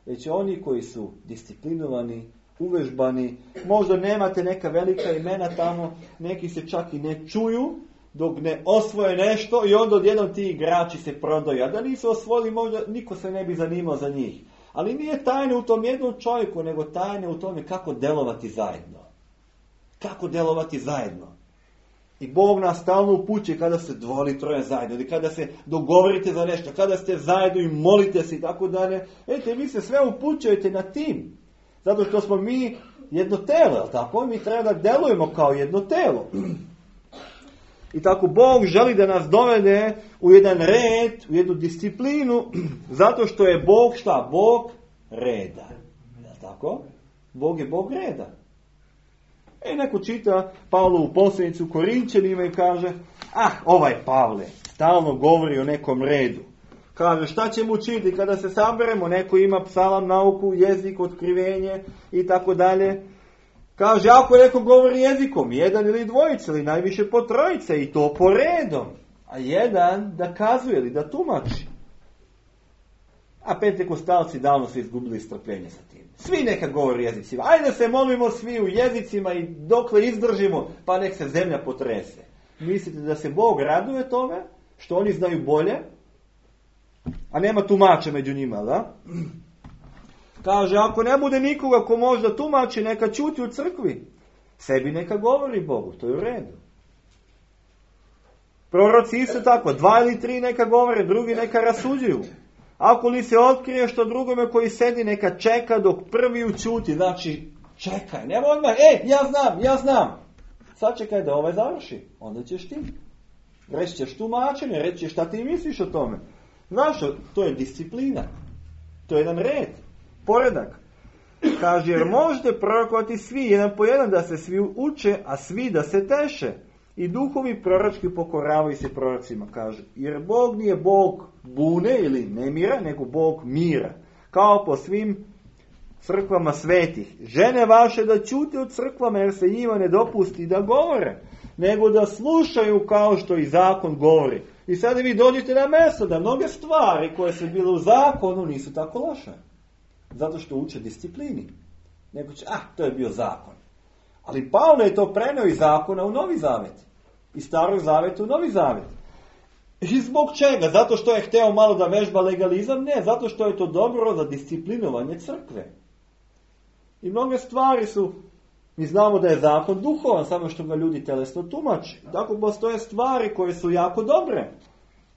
već oni koji su disciplinovani, uvežbani. Možda nemate neka velika imena tamo, neki se čak i ne čuju dok ne osvoje nešto i onda odjednom ti igrači se prodaju. A da nisu osvojili, možda niko se ne bi zanimao za njih. Ali nije tajne u tom jednom čovjeku, nego tajne u tome kako delovati zajedno. Kako delovati zajedno. I Bog nas stalno upućuje kada se dvoje troje zajedno, ili kada se dogovorite za nešto, kada ste zajedno i molite se i tako dalje. Ejte, vi se sve upućujete na tim. Zato što smo mi jedno telo, jel tako? Mi treba da delujemo kao jedno telo. I tako Bog želi da nas dovede u jedan red, u jednu disciplinu, zato što je Bog šta? Bog reda. Jel tako? Bog je Bog reda. E, neko čita Pavlovu poslanicu Korinćanima i kaže, ah, ovaj Pavle stalno govori o nekom redu. Kaže, šta ćemo učiti kada se saberemo? Neko ima psalam, nauku, jezik, otkrivenje i tako dalje. Kaže, ako neko govori jezikom, jedan ili dvojica, ili najviše po trojice, i to po redom. A jedan da kazuje ili da tumači. A pentekostalci davno su izgubili strpljenje sa tim. Svi neka govori jezicima. Ajde se molimo svi u jezicima i dokle izdržimo, pa nek se zemlja potrese. Mislite da se Bog raduje tome, što oni znaju bolje, a nema tumača među njima, da? Kaže, ako ne bude nikoga ko može da tumači, neka ćuti u crkvi. Sebi neka govori Bogu, to je u redu. Proroci isto tako, dva ili tri neka govore, drugi neka rasuđuju. Ako li se otkrije što drugome koji sedi, neka čeka dok prvi učuti. Znači, čekaj, nema odmah, e, ja znam, ja znam. Sad čekaj da ovaj završi, onda ćeš ti. Reći ćeš tumačenje, reći ćeš šta ti misliš o tome. Znaš, to je disciplina. To je jedan red, poredak. Kaže, jer možete prorokovati svi, jedan po jedan, da se svi uče, a svi da se teše. I duhovi proročki pokoravaju se prorocima, kaže. Jer Bog nije Bog bune ili nemira, nego Bog mira. Kao po svim crkvama svetih. Žene vaše da ćute u crkvama, jer se njima ne dopusti da govore, nego da slušaju kao što i zakon govori. I sada vi dođete na mjesto da mnoge stvari koje su bile u zakonu nisu tako loše. Zato što uče disciplini. Neko će, ah, to je bio zakon. Ali Pavle je to preneo iz zakona u Novi Zavet. Iz Starog Zaveta u Novi Zavet. I zbog čega? Zato što je hteo malo da vežba legalizam? Ne, zato što je to dobro za disciplinovanje crkve. I mnoge stvari su, mi znamo da je zakon duhovan, samo što ga ljudi telesno tumači. Tako postoje stvari koje su jako dobre.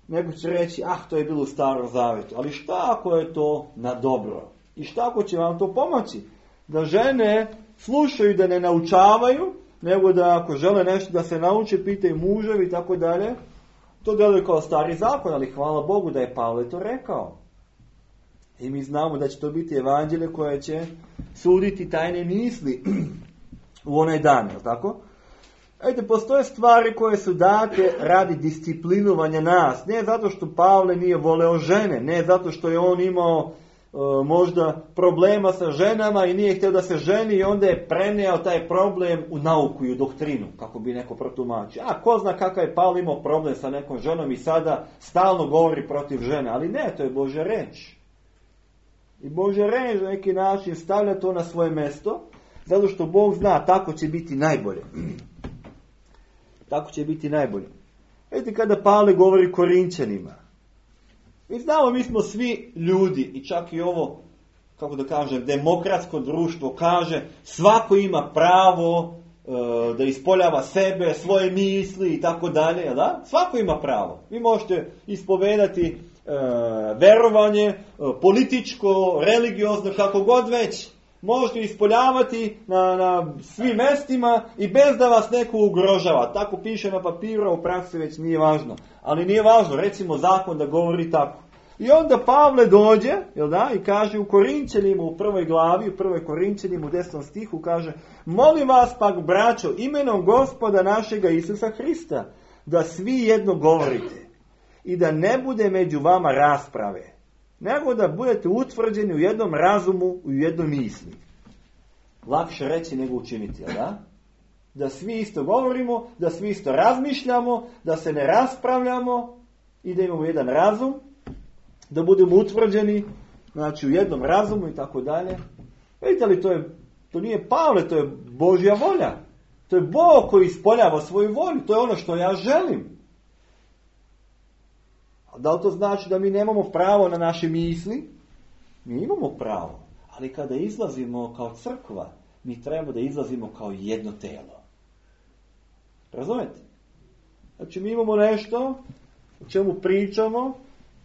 Neko će reći, ah, to je bilo u Starom Zavetu. Ali šta ako je to na dobro? I šta ako će vam to pomoći? Da žene slušaju, da ne naučavaju, nego da ako žele nešto da se nauče, pitaju muževi i tako dalje. To deluje kao stari zakon, ali hvala Bogu da je Pavle to rekao. I mi znamo da će to biti evanđelje koje će suditi tajne misli u onaj dan, je li tako? Ejte, postoje stvari koje su date radi disciplinovanja nas. Ne zato što Pavle nije voleo žene, ne zato što je on imao e, možda problema sa ženama i nije htio da se ženi i onda je preneo taj problem u nauku i u doktrinu, kako bi neko protumačio. A ko zna kakav je Pavle imao problem sa nekom ženom i sada stalno govori protiv žene, ali ne, to je Božja reč. I Božja reč na neki način stavlja to na svoje mesto, zato što Bog zna, tako će biti najbolje. Tako će biti najbolje. Vidite, kada Pavle govori Korinćanima, mi znamo, mi smo svi ljudi i čak i ovo, kako da kažem, demokratsko društvo kaže, svako ima pravo e, da ispoljava sebe, svoje misli i tako dalje, da? Svako ima pravo. Vi možete ispovedati e, verovanje, e, političko, religiozno, kako god već. Možete ispoljavati na, na svim mestima i bez da vas neko ugrožava. Tako piše na papiru, u praksi već nije važno. Ali nije važno, recimo zakon da govori tako. I onda Pavle dođe, jel da, i kaže u Korinćanima u prvoj glavi, u prvoj Korinćanima u desnom stihu kaže: molim vas pak, braćo, imenom Gospoda našega Isusa Hrista, da svi jedno govorite i da ne bude među vama rasprave, nego da budete utvrđeni u jednom razumu, u jednoj misli. Lakše reći nego učiniti, jel da? Da svi isto govorimo, da svi isto razmišljamo, da se ne raspravljamo i da imamo jedan razum, da budemo utvrđeni, znači u jednom razumu i tako dalje. Vidite li, to, je, to nije Pavle, to je Božja volja. To je Bog koji ispoljava svoju volju, to je ono što ja želim. Da li to znači da mi nemamo pravo na naše misli? Mi imamo pravo. Ali kada izlazimo kao crkva, mi trebamo da izlazimo kao jedno telo. Razumete? Znači mi imamo nešto o čemu pričamo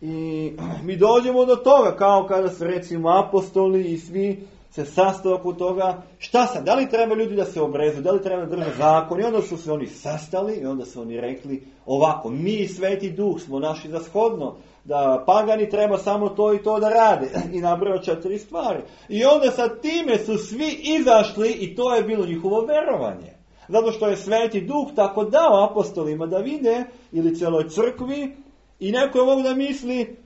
i mi dođemo do toga, kao kada se recimo apostoli i svi se sastaju oko toga. Šta sad? Da li treba ljudi da se obrezuju? Da li treba da drže zakon? I onda su se oni sastali i onda su oni rekli ovako: mi, Sveti Duh, smo našli za shodno da pagani treba samo to i to da rade. I nabrao četiri stvari. I onda sa time su svi izašli i to je bilo njihovo verovanje. Zato što je Sveti Duh tako dao apostolima da vide, ili cijeloj crkvi, i neko je mogu da misli,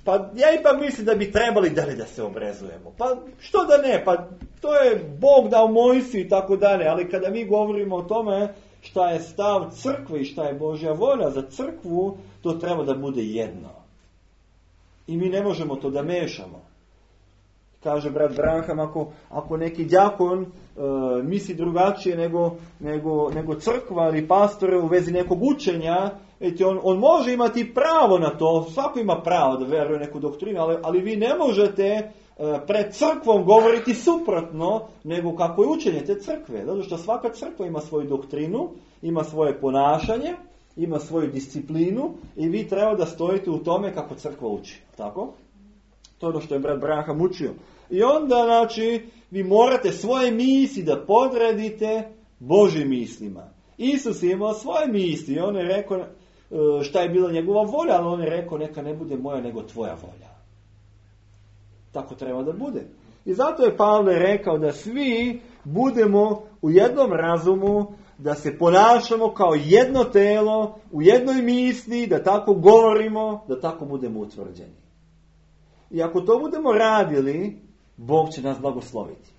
pa ja ipak mislim da bi trebali da li da se obrezujemo. Pa što da ne, pa to je Bog dao Mojsiju i tako dalje, ali kada mi govorimo o tome šta je stav crkve i šta je Božja volja za crkvu, to treba da bude jedno. I mi ne možemo to da mešamo. Kaže brat Branham, ako, ako neki đakon e, misli drugačije nego, nego, nego crkva ili pastore u vezi nekog učenja, eti on, on može imati pravo na to, svako ima pravo da veruje neku doktrinu, ali, ali vi ne možete e, pred crkvom govoriti suprotno nego kako je učenje te crkve. Zato što svaka crkva ima svoju doktrinu, ima svoje ponašanje, ima svoju disciplinu i vi treba da stojite u tome kako crkva uči. Tako? To je ono što je brat Branham učio. I onda, znači, vi morate svoje misli da podredite Božjim mislima. Isus je imao svoje misli i on je rekao šta je bila njegova volja, ali on je rekao neka ne bude moja nego tvoja volja. Tako treba da bude. I zato je Pavle rekao da svi budemo u jednom razumu, da se ponašamo kao jedno telo, u jednoj misli, da tako govorimo, da tako budemo utvrđeni. I ako to budemo radili, Bog će nas blagosloviti.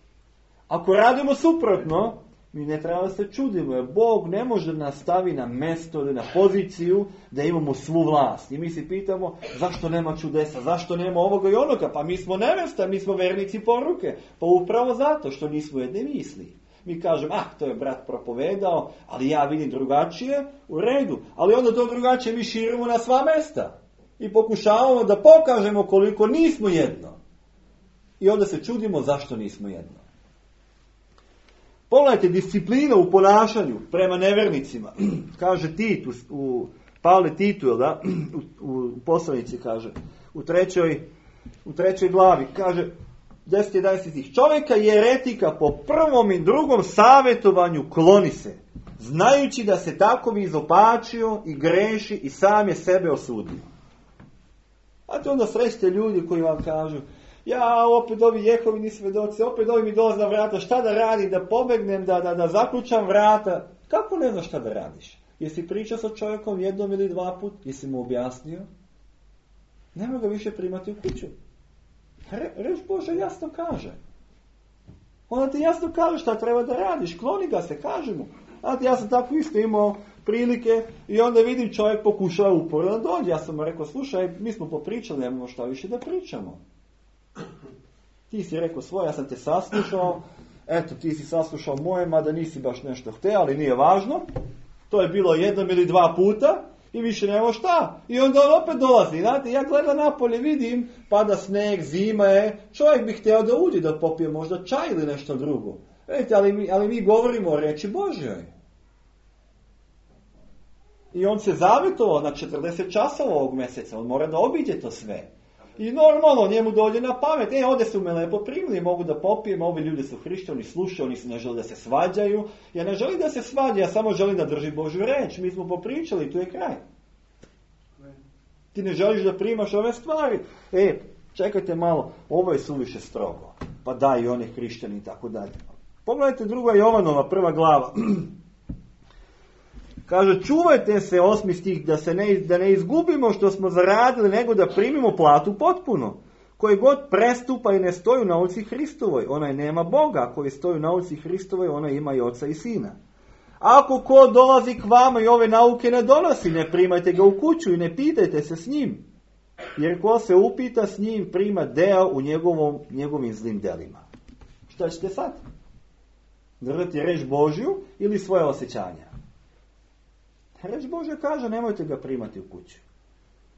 Ako radimo suprotno, mi ne treba da se čudimo, jer Bog ne može da nas stavi na mesto ili na poziciju da imamo svu vlast. I mi se pitamo zašto nema čudesa, zašto nema ovoga i onoga, pa mi smo nevesta, mi smo vernici poruke. Pa upravo zato što nismo jedne misli. Mi kažemo, ah, to je brat propovedao, ali ja vidim drugačije, u redu. Ali onda to drugačije mi širimo na sva mesta. I pokušavamo da pokažemo koliko nismo jedno. I onda se čudimo zašto nismo jedno. Pogledajte disciplina u ponašanju prema nevernicima. Kaže Tit, u, u Pavle Titu, jel da? U, u poslanici kaže, u trećoj, u trećoj glavi, kaže, deset jedanaest stih, čovjeka i eretika po prvom i drugom savjetovanju kloni se, znajući da se tako bi izopačio i greši i sam je sebe osudio. A to onda srećete ljudi koji vam kažu, ja opet ovi Jehovini svjedoci, opet ovi mi dolaze na vrata, šta da radim, da pobegnem, da, da, da zaključam vrata. Kako ne znaš šta da radiš? Jesi pričao sa čovjekom jednom ili dva put? Jesi mu objasnio? Nema ga više primati u kuću. Re, reč Bože jasno kaže. Ona ti jasno kaže šta treba da radiš. Kloni ga se, kaže mu. Znate, ja sam tako isto imao prilike i onda vidim čovjek pokušava uporno da dođe. Ja sam mu rekao, slušaj, mi smo popričali, nemamo šta više da pričamo. Ti si rekao svoje, ja sam te saslušao, eto ti si saslušao moje, mada nisi baš nešto hteo, ali nije važno. To je bilo jednom ili dva puta i više nema šta. I onda on opet dolazi. Znate, ja gledam napolje, vidim, pada sneg, zima je, čovjek bi htio da uđe, da popije možda čaj ili nešto drugo. Vidite, ali mi, ali mi govorimo o reči Božjoj. I on se zavjetovao na četrdeset časova ovog mjeseca, on mora da obiđe to sve. I normalno, njemu dođe na pamet, e, ovdje su me lepo primili, mogu da popijem, ovi ljudi su hrišćani, slušaju, oni ne žele da se svađaju. Ja ne želim da se svađa, ja samo želim da drži Božju reč, mi smo popričali, tu je kraj. Ti ne želiš da primaš ove stvari. E, čekajte malo, ovo je suviše strogo, pa daj i one hrišćani i tako dalje. Pogledajte druga Jovanova, prva glava. Kaže, čuvajte se, osmi stih, da se ne, da ne izgubimo što smo zaradili, nego da primimo platu potpuno. Koji god prestupa i ne stoji u nauci Hristovoj, onaj nema Boga, a koji stoji u nauci Hristovoj, onaj ima i oca i sina. Ako ko dolazi k vama i ove nauke ne donosi, ne primajte ga u kuću i ne pitajte se s njim. Jer ko se upita s njim, prima deo u njegovom, njegovim zlim delima. Šta ćete sad? Držati reč Božju ili svoje osjećanja? Reč Božja kaže, nemojte ga primati u kuću.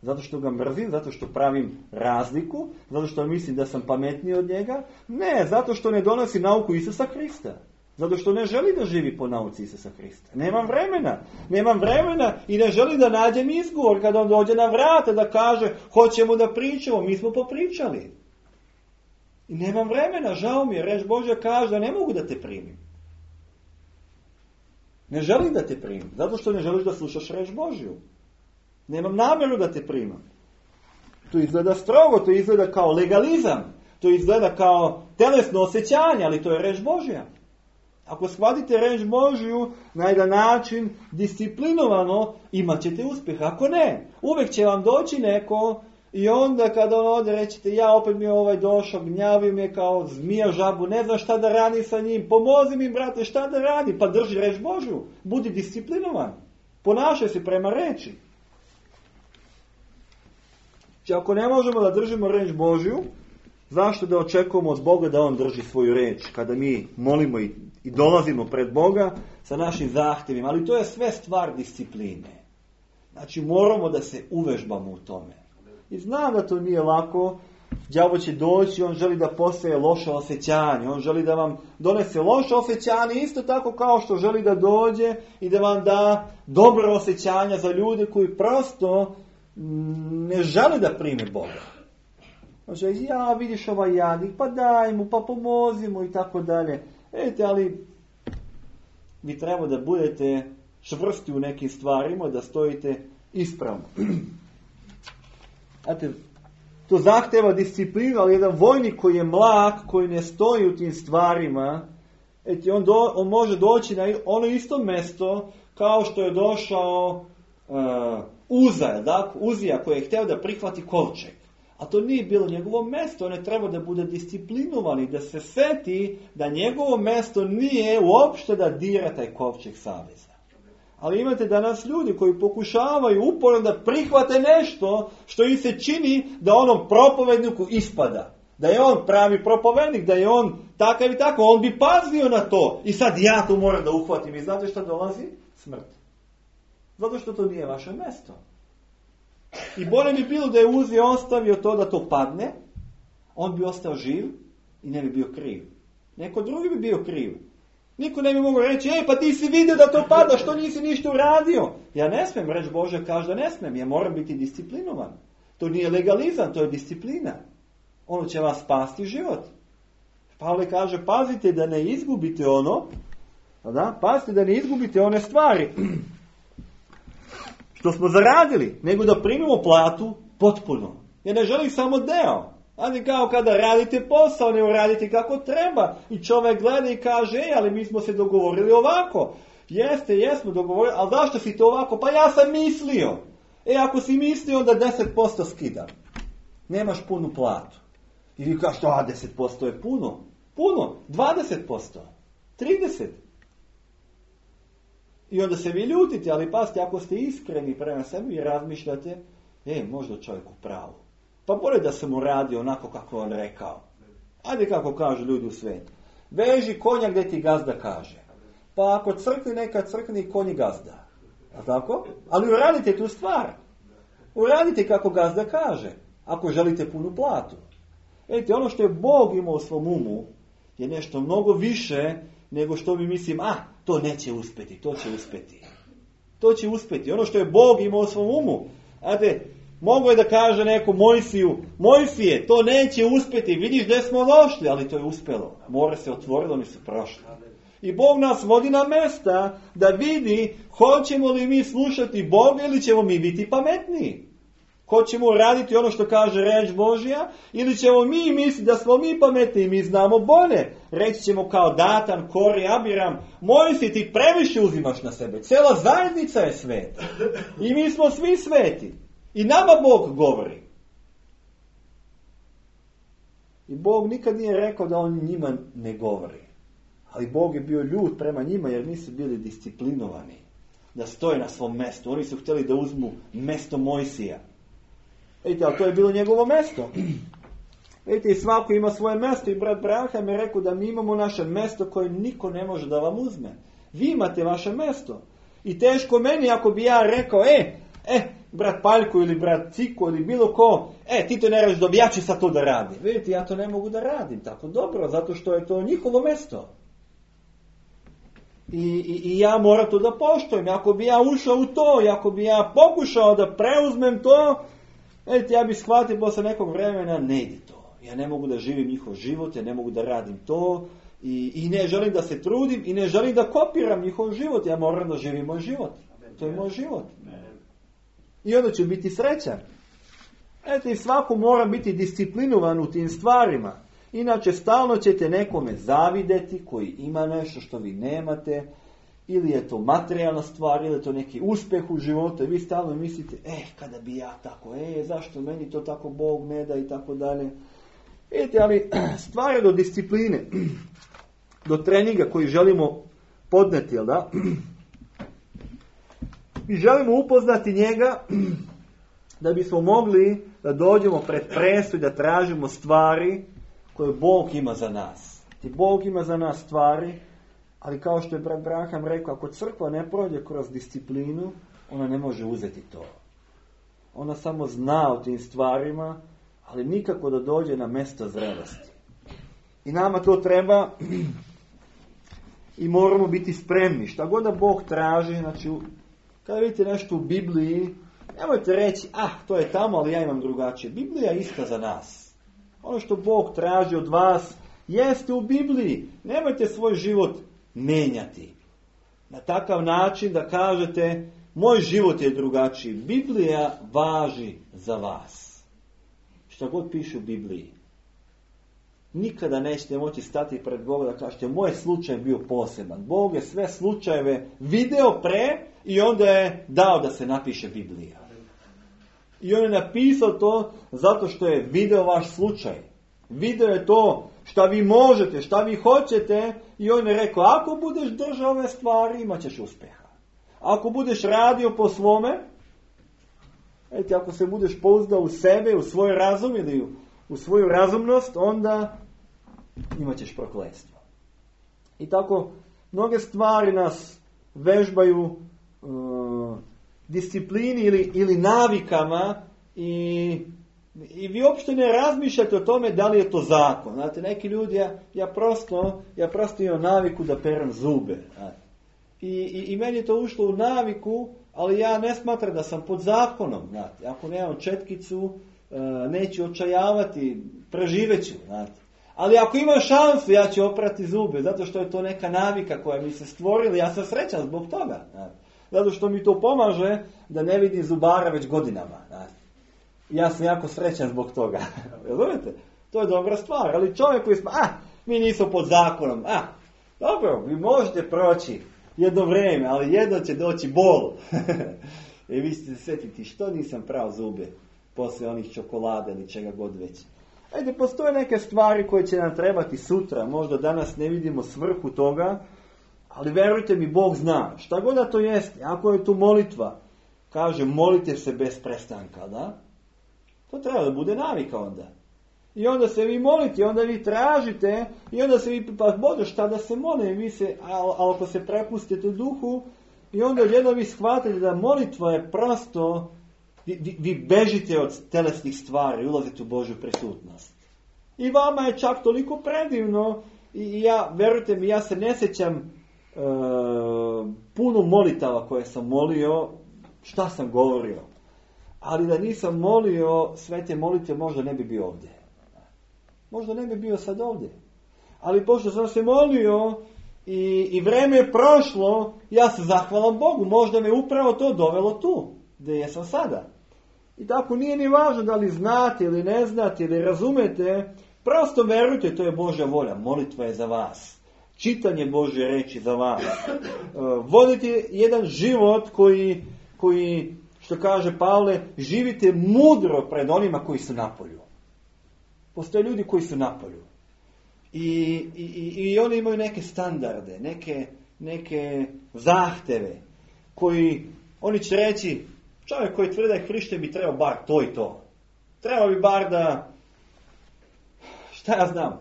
Zato što ga mrzim, zato što pravim razliku, zato što mislim da sam pametniji od njega. Ne, zato što ne donosi nauku Isusa Hrista. Zato što ne želi da živi po nauci Isusa Hrista. Nemam vremena. Nemam vremena i ne želi da nađem izgovor kada on dođe na vrata da kaže, hoćemo da pričamo, mi smo popričali. I nemam vremena, žao mi je, reč Božja kaže da ne mogu da te primim. Ne želim da te primim, zato što ne želiš da slušaš reč Božju. Nemam namjeru da te primam. To izgleda strogo, to izgleda kao legalizam, to izgleda kao telesno osjećanje, ali to je reč Božja. Ako shvatite reč Božju na jedan način disciplinovano, imat ćete uspjeh. Ako ne, uvijek će vam doći neko i onda kada on ode rećete, ja opet mi je ovaj došao, gnjavi me kao zmija žabu, ne znam šta da radi sa njim, pomozi mi brate, šta da radi, pa drži reč Božju, budi disciplinovan, ponašaj se prema reči. Znači, ako ne možemo da držimo reč Božju, zašto da očekujemo od Boga da on drži svoju reč, kada mi molimo i, i dolazimo pred Boga sa našim zahtjevima, ali to je sve stvar discipline. Znači, moramo da se uvežbamo u tome. I znam da to nije lako, đavo će doći, on želi da postaje loše osjećanje, on želi da vam donese loše osjećanje, isto tako kao što želi da dođe i da vam da dobro osjećanja za ljude koji prosto ne žele da prime Boga. Znači, ja vidiš ovaj jadnik, pa daj mu, pa pomozi mu i tako dalje. Vidite, ali vi treba da budete čvrsti u nekim stvarima, da stojite ispravno. Znate, to zahteva disciplinu, ali jedan vojnik koji je mlak, koji ne stoji u tim stvarima, eti on, do, on može doći na ono isto mjesto kao što je došao uh, Uza, da? Uzija koji je htio da prihvati kovčeg. A to nije bilo njegovo mjesto, on je trebao da bude disciplinovan i da se seti da njegovo mjesto nije uopšte da dira taj kovčeg saveza. Ali imate danas ljudi koji pokušavaju uporno da prihvate nešto što im se čini da onom propovedniku ispada. Da je on pravi propovednik, da je on takav i tako, on bi pazio na to. I sad ja to moram da uhvatim. I znate šta dolazi? Smrt. Zato što to nije vaše mjesto. I bolje bi bilo da je uzeo, ostavio to da to padne, on bi ostao živ i ne bi bio kriv. Neko drugi bi bio kriv. Niko ne bi mogao reći, ej, pa ti si vidio da to pada, što nisi ništa uradio? Ja ne smijem, reč Bože kaže da ne smijem, ja moram biti disciplinovan. To nije legalizam, to je disciplina. Ono će vas spasti život. Pavle kaže, pazite da ne izgubite ono, da? Pazite da ne izgubite one stvari što smo zaradili, nego da primimo platu potpuno. Ja ne želim samo deo. Ali kao kada radite posao, ne uradite kako treba. I čovjek gleda i kaže, ej, ali mi smo se dogovorili ovako. Jeste, jesmo dogovorili, ali zašto si to ovako? Pa ja sam mislio. E, ako si mislio, onda deset posto skidam. Nemaš punu platu. I vi kažete, a deset posto je puno. Puno, dvadeset posto, trideset. I onda se vi ljutite, ali pazite, ako ste iskreni prema sebi i razmišljate, e, možda čovjek u pravu. Pa bolje da sam uradio onako kako on rekao. Ajde kako kažu ljudi u svijetu. Veži konja gdje ti gazda kaže. Pa ako crkni, neka crkni konji gazda. A tako? Ali uradite tu stvar. Uradite kako gazda kaže. Ako želite punu platu. Vidite, ono što je Bog imao u svom umu je nešto mnogo više nego što mi mislim, a, to neće uspjeti, to će uspjeti. To će uspjeti. Ono što je Bog imao u svom umu. Ajde, mogu je da kaže neko Mojsiju, Mojsije, to neće uspjeti, vidiš gdje smo došli, ali to je uspjelo. More se otvorilo, mi su prošli. I Bog nas vodi na mesta da vidi hoćemo li mi slušati Boga ili ćemo mi biti pametniji. Hoćemo raditi ono što kaže reč Božja ili ćemo mi misliti da smo mi pametni i mi znamo bolje. Reći ćemo kao Datan, Kori, Abiram, Mojsije, ti previše uzimaš na sebe. Cijela zajednica je sveta. I mi smo svi sveti. I nama Bog govori. I Bog nikad nije rekao da on njima ne govori. Ali Bog je bio ljut prema njima jer nisu bili disciplinovani. Da stoje na svom mjestu. Oni su htjeli da uzmu mjesto Mojsija. Vidite, ali to je bilo njegovo mjesto. Vidite, i svako ima svoje mjesto. I brat Branham je rekao da mi imamo naše mjesto koje niko ne može da vam uzme. Vi imate vaše mjesto. I teško meni ako bi ja rekao, e, e, brat Paljko ili brat Ciko ili bilo ko, e, ti to ne radiš dobro, ja ću sad to da radim. Vidite, ja to ne mogu da radim tako dobro, zato što je to njihovo mjesto. I, i, i ja moram to da poštujem. Ako bi ja ušao u to, i ako bi ja pokušao da preuzmem to, vidite, ja bih shvatio posle nekog vremena, ne ide to. Ja ne mogu da živim njihov život, ja ne mogu da radim to, i, i ne želim da se trudim, i ne želim da kopiram njihov život, ja moram da živim moj život. To je moj život. I onda ću biti srećan. Eto, i svako mora biti disciplinovan u tim stvarima. Inače, stalno ćete nekome zavideti koji ima nešto što vi nemate, ili je to materijalna stvar, ili je to neki uspjeh u životu, i vi stalno mislite, eh, kada bi ja tako, eh, zašto meni to tako Bog ne da, i tako dalje. Vidite, ali stvar je do discipline, do treninga koji želimo podneti, jel da? Mi želimo upoznati njega da bismo mogli da dođemo pred presu i da tražimo stvari koje Bog ima za nas. I Bog ima za nas stvari, ali kao što je brat Branham rekao, ako crkva ne prođe kroz disciplinu, ona ne može uzeti to. Ona samo zna o tim stvarima, ali nikako da dođe na mjesto zrelosti. I nama to treba i moramo biti spremni. Šta god da Bog traži, znači, kada vidite nešto u Bibliji, nemojte reći, ah, to je tamo, ali ja imam drugačije. Biblija je ista za nas. Ono što Bog traži od vas, jeste u Bibliji. Nemojte svoj život menjati. Na takav način da kažete, moj život je drugačiji. Biblija važi za vas. Što god piše u Bibliji. Nikada nećete moći stati pred Boga da kažete, moj slučaj je bio poseban. Bog je sve slučajeve video pre i onda je dao da se napiše Biblija. I on je napisao to zato što je video vaš slučaj. Video je to šta vi možete, šta vi hoćete, i on je rekao, ako budeš držao ove stvari, imat ćeš uspjeha. Ako budeš radio po svome, eti, ako se budeš pouzdao u sebe, u svoj razum ili u, u svoju razumnost, onda imat ćeš prokletstvo. I tako, mnoge stvari nas vežbaju uh, disciplini ili, ili navikama i, i vi uopšte ne razmišljate o tome da li je to zakon. Znate, neki ljudi, ja, ja prosto, ja prosto imam naviku da perem zube. I, i, I meni je to ušlo u naviku, ali ja ne smatram da sam pod zakonom. Znate. Ako nemam četkicu, uh, neću očajavati, preživeću. Znate. Ali ako imam šansu, ja ću oprati zube, zato što je to neka navika koja mi se stvorila. Ja sam srećan zbog toga. Znate. Zato što mi to pomaže da ne vidim zubara već godinama. Znate. Ja sam jako srećan zbog toga. Razumete? To je dobra stvar. Ali čovjek koji smo, ah, mi nismo pod zakonom. Ah, dobro, vi možete proći jedno vrijeme, ali jedno će doći bol. I vi ćete se sjetiti, što nisam prao zube poslije onih čokolade ili čega god već. Ajde, postoje neke stvari koje će nam trebati sutra. Možda danas ne vidimo svrhu toga, ali verujte mi, Bog zna. Šta god da to jeste, ako je tu molitva, kaže molite se bez prestanka, da? To treba da bude navika onda. I onda se vi molite, onda vi tražite, i onda se vi, pa Bože, šta da se mole, vi se, ali ako se prepustite duhu, i onda jedno vi shvatite da molitva je prosto, vi, vi, vi bežite od telesnih stvari, ulazite u Božju prisutnost. I vama je čak toliko predivno, i, i ja, verujte mi, ja se ne sjećam e, puno molitava koje sam molio, šta sam govorio. Ali da nisam molio sve te molitve, možda ne bi bio ovdje. Možda ne bi bio sad ovdje. Ali pošto sam se molio i, i vreme je prošlo, ja se zahvalam Bogu. Možda me upravo to dovelo tu, gdje jesam sada. I tako nije ni važno da li znate ili ne znate ili razumete. Prosto verujte, to je Božja volja. Molitva je za vas. Čitanje Božje reči za vas. Vodite jedan život koji, koji, što kaže Pavle, živite mudro pred onima koji su napolju. Postoje ljudi koji su napolju. I, i, i oni imaju neke standarde, neke, neke zahteve, koji, oni će reći, čovjek koji tvrdi da je hrišćanin bi trebao bar to i to. Treba bi bar da, šta ja znam,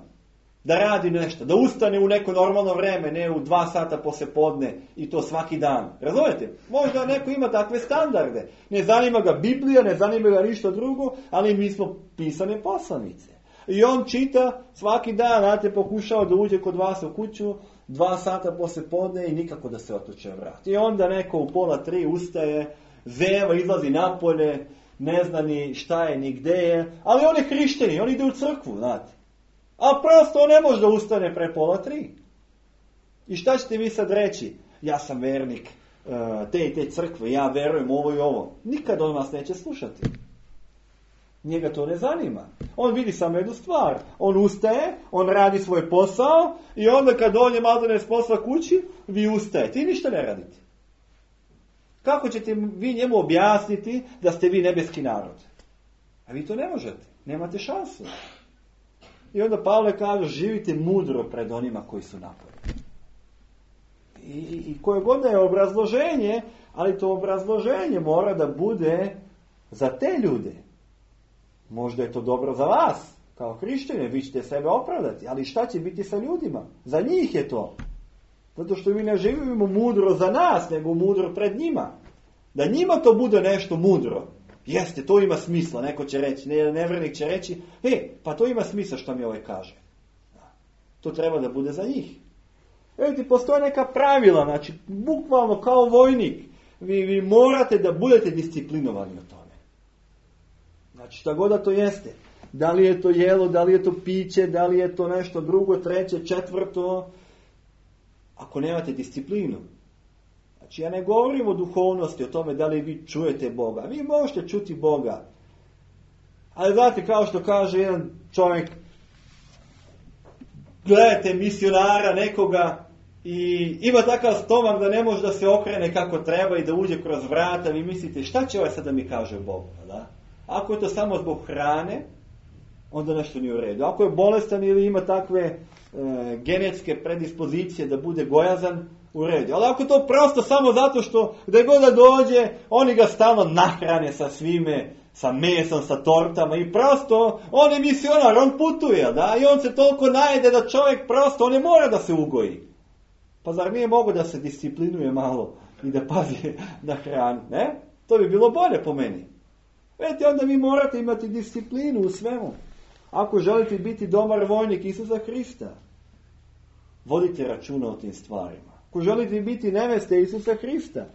da radi nešto, da ustane u neko normalno vreme, ne u dva sata poslije podne i to svaki dan. Razumete? Možda neko ima takve standarde. Ne zanima ga Biblija, ne zanima ga ništa drugo, ali mi smo pisane poslanice. I on čita svaki dan, znate, pokušao da uđe kod vas u kuću, dva sata poslije podne i nikako da se otuče vrat. I onda neko u pola tri ustaje, zeva, izlazi napolje, ne zna ni šta je, ni gde je, ali on je hrišćanin, on ide u crkvu, znate. A prosto on ne može da ustane pre pola tri. I šta ćete vi sad reći? Ja sam vernik te i te crkve, ja verujem ovo i ovo. Nikad on vas neće slušati. Njega to ne zanima. On vidi samo jednu stvar. On ustaje, on radi svoj posao i onda kad dođe maltene s posla kući, vi ustajete i ništa ne radite. Kako ćete vi njemu objasniti da ste vi nebeski narod? A vi to ne možete. Nemate šansu. I onda Pavle kaže, živite mudro pred onima koji su napolju. I, i koje god je obrazloženje, ali to obrazloženje mora da bude za te ljude. Možda je to dobro za vas, kao hrišćane, vi ćete sebe opravdati, ali šta će biti sa ljudima? Za njih je to. Zato što mi ne živimo mudro za nas, nego mudro pred njima. Da njima to bude nešto mudro. Jeste, to ima smisla, neko će reći, ne, nevjernik će reći, e, pa to ima smisla što mi ovaj kaže. To treba da bude za njih. Evo ti postoje neka pravila, znači, bukvalno kao vojnik, vi, vi morate da budete disciplinovani o tome. Znači, šta god da to jeste. Da li je to jelo, da li je to piće, da li je to nešto drugo, treće, četvrto. Ako nemate disciplinu. Znači, ja ne govorim o duhovnosti, o tome da li vi čujete Boga. Vi možete čuti Boga. Ali znate, kao što kaže jedan čovjek, gledajte misionara nekoga i ima takav stomak da ne može da se okrene kako treba i da uđe kroz vrata. Vi mislite, šta će ovaj sad da mi kaže Bog? Da? Ako je to samo zbog hrane, onda nešto nije u redu. Ako je bolestan ili ima takve e, genetske predispozicije da bude gojazan, u redu. Ali ako to prosto samo zato što gdje god da dođe, oni ga stalno nahrane sa svime, sa mesom, sa tortama i prosto, on je misionar, on putuje, da, i on se toliko najede da čovjek prosto, on ne mora da se ugoji. Pa zar nije mogo da se disciplinuje malo i da pazi na hranu, ne? To bi bilo bolje po meni. Vidite, onda vi morate imati disciplinu u svemu. Ako želite biti dobar vojnik Isusa Hrista, vodite računa o tim stvarima. Ako želite biti neveste Isusa Hrista,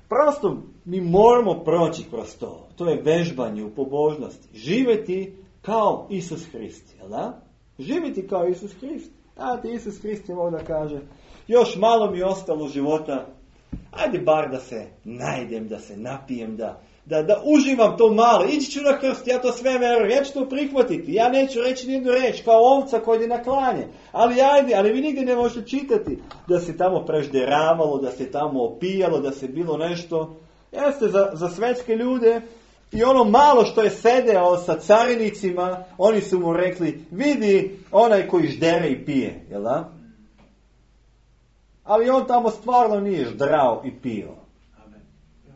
prosto mi moramo proći kroz to. To je vežbanje u pobožnosti. Živjeti kao Isus Hrist, jel da? Živjeti kao Isus Hrist. Znate, Isus Hrist je da kaže, još malo mi je ostalo života, ajde bar da se najdem, da se napijem, da, da, da uživam to malo, ići ću na krst, ja to sve verujem, ja ću to prihvatiti, ja neću reći nijednu reč, kao ovca koja ide na klanje, ali ajde, ali vi nigdje ne možete čitati da se tamo prežderavalo, da se tamo opijalo, da se bilo nešto. Jeste, za, za svetske ljude, i ono malo što je sedeo sa carinicima, oni su mu rekli, vidi onaj koji ždere i pije, jel da? Ali on tamo stvarno nije ždrao i pio.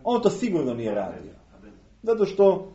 On to sigurno nije radio. Zato što,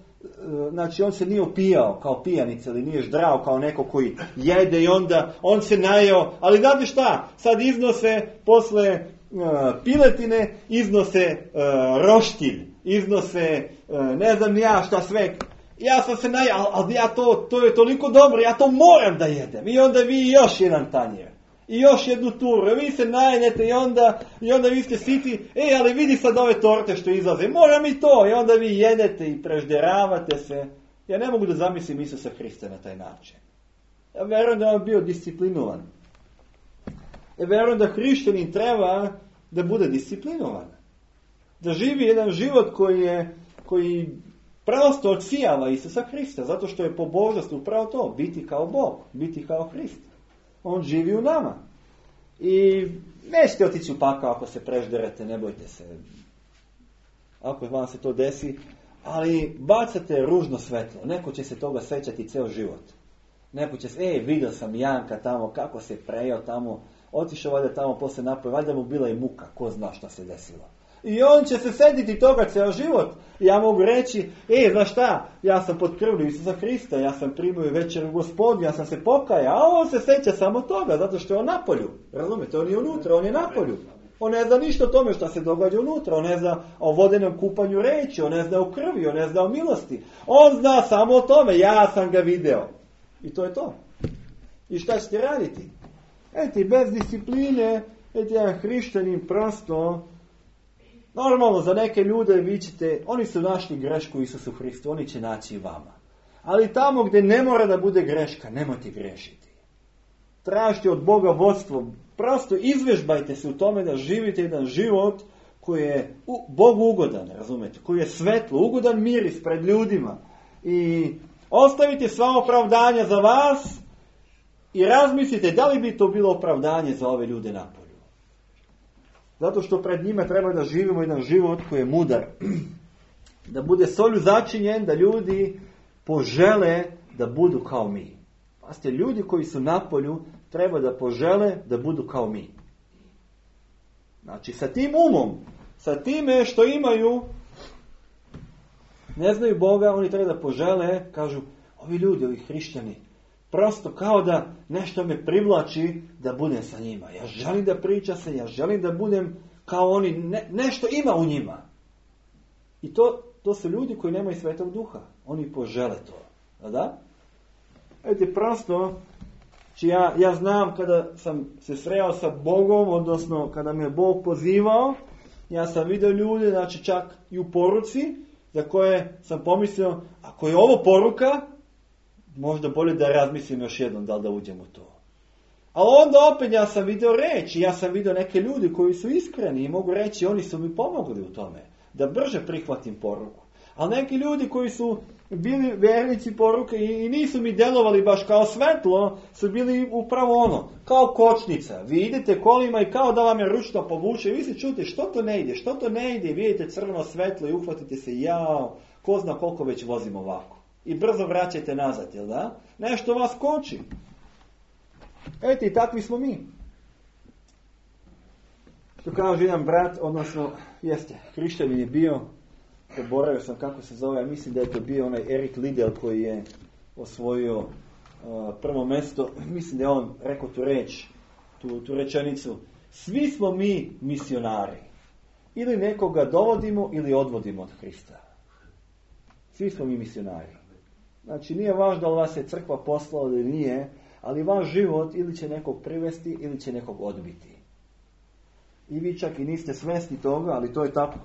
znači, on se nije opijao kao pijanica ili nije ždrao kao neko koji jede i onda on se najeo. Ali znate šta? Sad iznose posle uh, piletine, iznose uh, roštilj, iznose uh, ne znam ja šta sve. Ja sam se najeo, ali, ali ja to, to je toliko dobro, ja to moram da jedem. I onda vi još jedan tanjer. I još jednu turu, vi se najedete i onda, i onda vi ste siti, e, ali vidi sad ove torte što izlaze, moram i to, i onda vi jedete i prežderavate se. Ja ne mogu da zamislim Isusa Hrista na taj način. Ja verujem da on bio disciplinovan. Ja verujem da hrišćanin treba da bude disciplinovan. Da živi jedan život koji je, koji prosto odsijava Isusa Hrista, zato što je pobožnost upravo to, biti kao Bog, biti kao Hrist. On živi u nama. I nećete otići u pakao ako se prežderete, ne bojte se. Ako vam se to desi, ali bacate ružno svetlo. Neko će se toga sećati ceo život. Neko će se, e, vidio sam Janka tamo, kako se prejao tamo, otišao valjda tamo posle napoje, valjda mu bila i muka, ko zna šta se desilo. I on će se sediti toga ceo život. Ja mogu reći, e, znaš šta, ja sam pod krvlju Isusa Hrista, ja sam primio večer u Gospodu, ja sam se pokajao, a on se seća samo toga, zato što je on napolju. Razumete, on je unutra, on je napolju. On ne zna ništa o tome što se događa unutra, on ne zna o vodenom kupanju reči, on ne zna o krvi, on ne zna o milosti. On zna samo o tome, ja sam ga video. I to je to. I šta ćete raditi? Eti, bez discipline, eti, jedan hrišćanin prosto. Normalno, za neke ljude vi ćete, oni su našli grešku u Isusu Hristu, oni će naći i vama. Ali tamo gdje ne mora da bude greška, nemojte grešiti. Tražite od Boga vodstvo, prosto izvežbajte se u tome da živite jedan život koji je Bogu ugodan, razumete, koji je svetlo, ugodan miris pred ljudima. I ostavite sva opravdanja za vas i razmislite da li bi to bilo opravdanje za ove ljude napolju. Zato što pred njima treba da živimo jedan život koji je mudar. Da bude solju začinjen, da ljudi požele da budu kao mi. Pazite, ljudi koji su napolju treba da požele da budu kao mi. Znači, sa tim umom, sa time što imaju, ne znaju Boga, oni treba da požele, kažu, ovi ljudi, ovi hrišćani, prosto kao da nešto me privlači da budem sa njima. Ja želim da pričam se, ja želim da budem kao oni, ne, nešto ima u njima. I to, to su ljudi koji nemaju Svetog Duha. Oni požele to. Da? Vidite, prosto, či ja, ja znam kada sam se sreo sa Bogom, odnosno kada me Bog pozivao, ja sam vidio ljude, znači čak i u poruci, za koje sam pomislio, ako je ovo poruka, možda bolje da razmislim još jednom da li da uđem u to. Ali onda opet ja sam vidio reći, ja sam vidio neke ljudi koji su iskreni i mogu reći, oni su mi pomogli u tome, da brže prihvatim poruku. Ali neki ljudi koji su bili vernici poruke i nisu mi delovali baš kao svetlo, su bili upravo ono, kao kočnica. Vi idete kolima i kao da vam je ručno povuče i vi se čujete što to ne ide, što to ne ide, vidite crveno svetlo i uhvatite se, jao, ko zna koliko već vozimo ovako. I brzo vraćate nazad, jel da? Nešto vas koči. Eto, i takvi smo mi. Što kaže jedan brat, odnosno, jeste, hrišćanin je bio, zaboravio sam kako se zove, ja mislim da je to bio onaj Erik Liddell koji je osvojio uh, prvo mjesto, mislim da je on rekao tu reč, tu, tu rečenicu, svi smo mi misionari. Ili nekoga dovodimo ili odvodimo od Krista. Svi smo mi misionari. Znači nije važno da li vas je crkva poslala ili nije, ali vaš život ili će nekog privesti ili će nekog odbiti. I vi čak i niste svjesni toga, ali to je tako.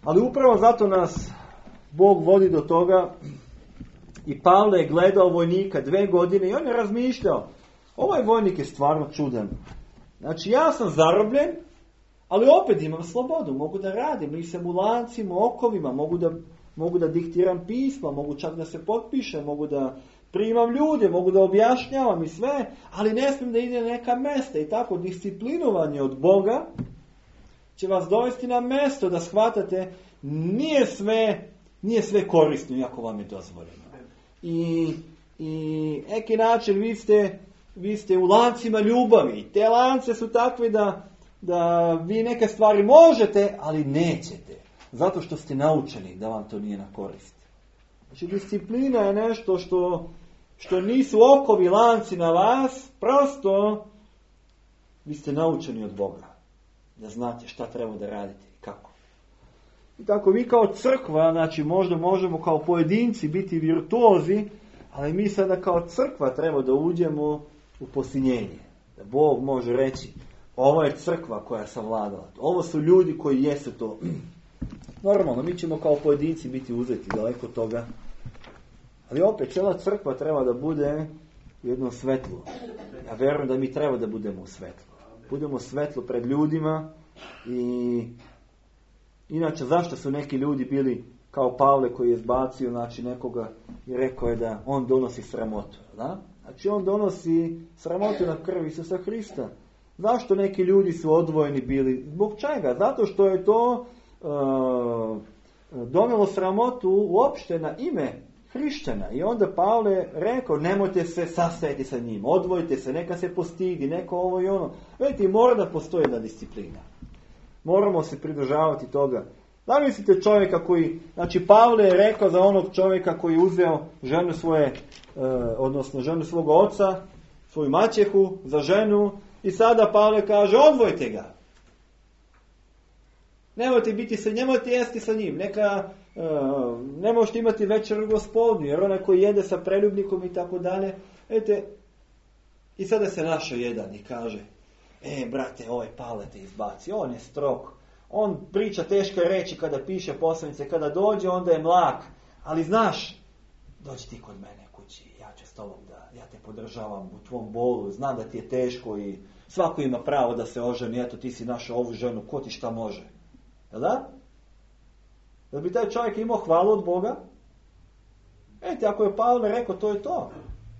Ali upravo zato nas Bog vodi do toga. I Pavle je gledao vojnika dve godine i on je razmišljao, ovaj vojnik je stvarno čudan. Znači ja sam zarobljen, ali opet imam slobodu, mogu da radim, nisam u lancima, okovima, mogu da, mogu da diktiram pisma, mogu čak da se potpišem, mogu da primam ljude, mogu da objašnjavam i sve, ali ne smijem da idem na neka mjesta. I tako disciplinovanje od Boga će vas dovesti na mjesto da shvatate nije sve, nije sve korisno iako vam je dozvoljeno. I, i neki način vi ste, vi ste u lancima ljubavi. Te lance su takve da, da vi neke stvari možete, ali nećete. Zato što ste naučeni da vam to nije na korist. Znači disciplina je nešto što, što nisu okovi lanci na vas, prosto vi ste naučeni od Boga. Da znate šta treba da radite i kako. I tako vi kao crkva, znači možda možemo kao pojedinci biti virtuozi, ali mi sada kao crkva treba da uđemo u posinjenje. Da Bog može reći, ovo je crkva koja je savladala. Ovo su ljudi koji jesu to. Normalno, mi ćemo kao pojedinci biti uzeti daleko od toga. Ali opet, cijela crkva treba da bude u jednom svetlu. Ja vjerujem da mi treba da budemo u svetlu. Budemo svetlo pred ljudima i inače zašto su neki ljudi bili kao Pavle koji je zbacio znači nekoga i rekao je da on donosi sramotu. Da? Znači on donosi sramotu na krvi Isusa Hrista. Zašto neki ljudi su odvojeni bili? Zbog čega? Zato što je to uh, donelo sramotu uopšte na ime hrišćana. I onda Pavle rekao, nemojte se sastajati sa njim, odvojite se, neka se postidi, neko ovo i ono. Vidite, mora da postoji jedna disciplina. Moramo se pridržavati toga. Da mislite čovjeka koji, znači Pavle je rekao za onog čovjeka koji je uzeo ženu svoje, e, odnosno ženu svog oca, svoju maćehu za ženu i sada Pavle kaže odvojite ga. Nemojte biti sa, nemojte jesti sa njim, neka, e, ne možete imati večeru Gospodnju, jer onaj koji jede sa preljubnikom i tako dalje, vidite, i sada se našao jedan i kaže, e, brate, ovaj Pavle te izbaci, on je strog, on priča teške reči kada piše poslanice, kada dođe onda je mlak, ali znaš, dođi ti kod mene kući, ja ću s tobom da, ja te podržavam u tvom bolu, znam da ti je teško i svako ima pravo da se oženi, eto ti si našao ovu ženu, ko ti šta može, jel da? Da bi taj čovjek imao hvalu od Boga? Ete, ako je Pavle rekao, to je to,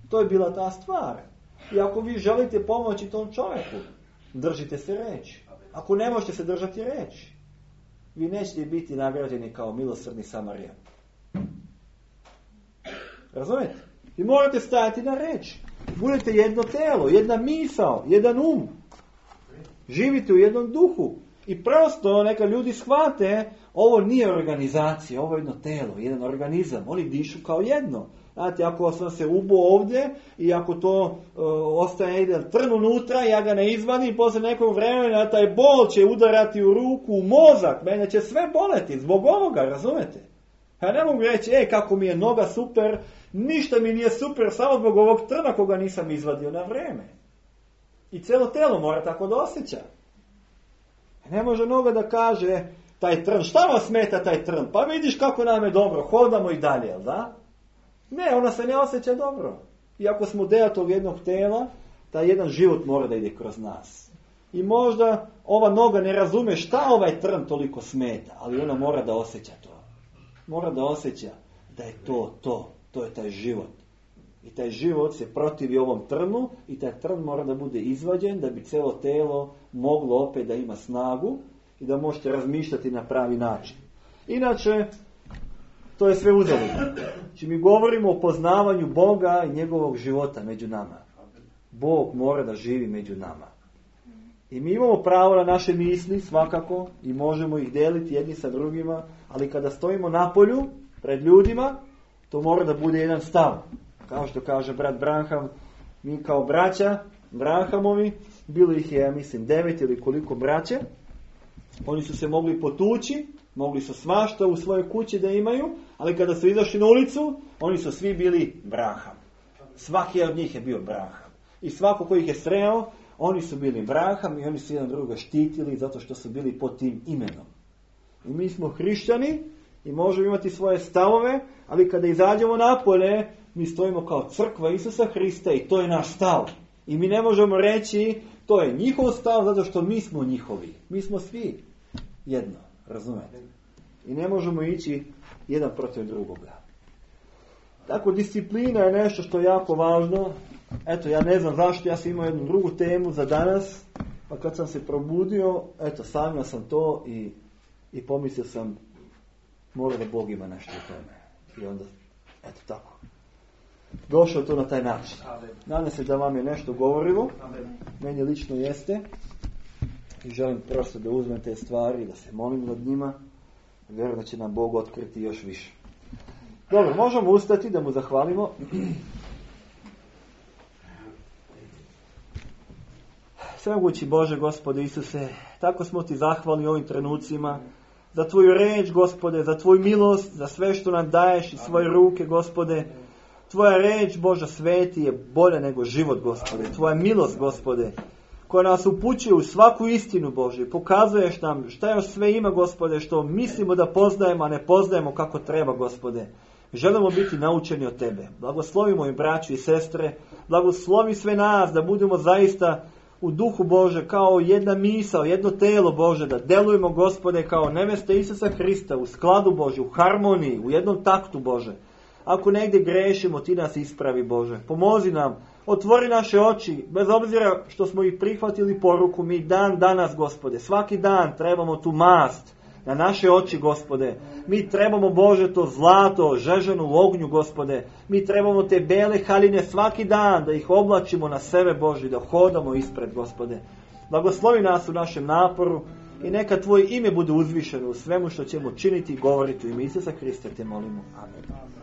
to je bila ta stvar. I ako vi želite pomoći tom čovjeku, držite se reći. Ako ne možete se držati reći, vi nećete biti nagrađeni kao milosrdni Samarijan. Razumijete? Vi morate stajati na reći. Budete jedno telo, jedna misao, jedan um. Živite u jednom duhu. I prosto neka ljudi shvate, ovo nije organizacija, ovo je jedno telo, jedan organizam. Oni dišu kao jedno. Znate, ako sam se ubo ovdje i ako to uh, ostaje jedan trn unutra, ja ga ne izvadim, posle nekog vremena taj bol će udarati u ruku, u mozak, mene će sve boleti zbog ovoga, razumete? Ja ne mogu reći, ej, kako mi je noga super, ništa mi nije super, samo zbog ovog trna koga nisam izvadio na vreme. I cijelo telo mora tako da osjeća. Ne može noga da kaže, taj trn, šta vam smeta taj trn? Pa vidiš kako nam je dobro, hodamo i dalje, jel da? Ne, ona se ne osjeća dobro. Iako smo deo tog jednog tela, taj jedan život mora da ide kroz nas. I možda ova noga ne razume šta ovaj trn toliko smeta, ali ona mora da osjeća to. Mora da osjeća da je to, to, to je taj život. I taj život se protivi ovom trnu i taj trn mora da bude izvađen da bi celo telo moglo opet da ima snagu i da možete razmišljati na pravi način. Inače, to je sve uzaludno. Znači mi govorimo o poznavanju Boga i njegovog života među nama. Bog mora da živi među nama. I mi imamo pravo na naše misli, svakako, i možemo ih deliti jedni sa drugima, ali kada stojimo na polju, pred ljudima, to mora da bude jedan stav. Kao što kaže brat Branham, mi kao braća, Branhamovi, bilo ih je, ja mislim, devet ili koliko braće, oni su se mogli potući, mogli su svašta u svojoj kući da imaju, ali kada su izašli na ulicu, oni su svi bili Branham. Svaki od njih je bio Branham. I svako ko ih je sreo, oni su bili Branham i oni su jedan druga štitili zato što su bili pod tim imenom. I mi smo hrišćani i možemo imati svoje stavove, ali kada izađemo napolje, mi stojimo kao crkva Isusa Hrista i to je naš stav. I mi ne možemo reći, to je njihov stav zato što mi smo njihovi. Mi smo svi jedno, razumete? I ne možemo ići jedan protiv drugoga. Tako, disciplina je nešto što je jako važno. Eto, ja ne znam zašto, ja sam imao jednu drugu temu za danas, pa kad sam se probudio, eto, sanjao sam to i, i pomislio sam, mora da Bog ima nešto u tome. I onda, eto tako, došao to na taj način. Nadam se da vam je nešto govorilo, meni lično jeste, i želim prosto da uzmem te stvari, da se molim nad njima, vjerujem da će nam Bog otkriti još više. Dobro, možemo ustati da mu zahvalimo. Svemogući Bože, Gospode Isuse, tako smo ti zahvali ovim trenucima za tvoju reč, Gospode, za tvoju milost, za sve što nam daješ iz svoje ruke, Gospode. Tvoja reč, Bože sveti, je bolja nego život, Gospode. Tvoja milost, Gospode, koja nas upućuje u svaku istinu, Bože. Pokazuješ nam šta još sve ima, Gospode, što mislimo da poznajemo, a ne poznajemo kako treba, Gospode. Želimo biti naučeni od Tebe. Blagoslovimo i braću i sestre, blagoslovi sve nas da budemo zaista u duhu, Bože, kao jedna misao, jedno telo, Bože, da delujemo, Gospode, kao neveste Isusa Hrista, u skladu, Bože, u harmoniji, u jednom taktu, Bože. Ako negdje grešimo, ti nas ispravi, Bože. Pomozi nam, otvori naše oči, bez obzira što smo ih prihvatili poruku, mi dan danas, Gospode, svaki dan trebamo tu mast na naše oči, Gospode. Mi trebamo, Bože, to zlato žežano u ognju, Gospode. Mi trebamo te bele haljine svaki dan, da ih oblačimo na sebe, Bože, da hodamo ispred, Gospode. Blagoslovi nas u našem naporu i neka Tvoje ime bude uzvišeno u svemu što ćemo činiti i govoriti u ime Isusa Hrista, te molimo. Amen.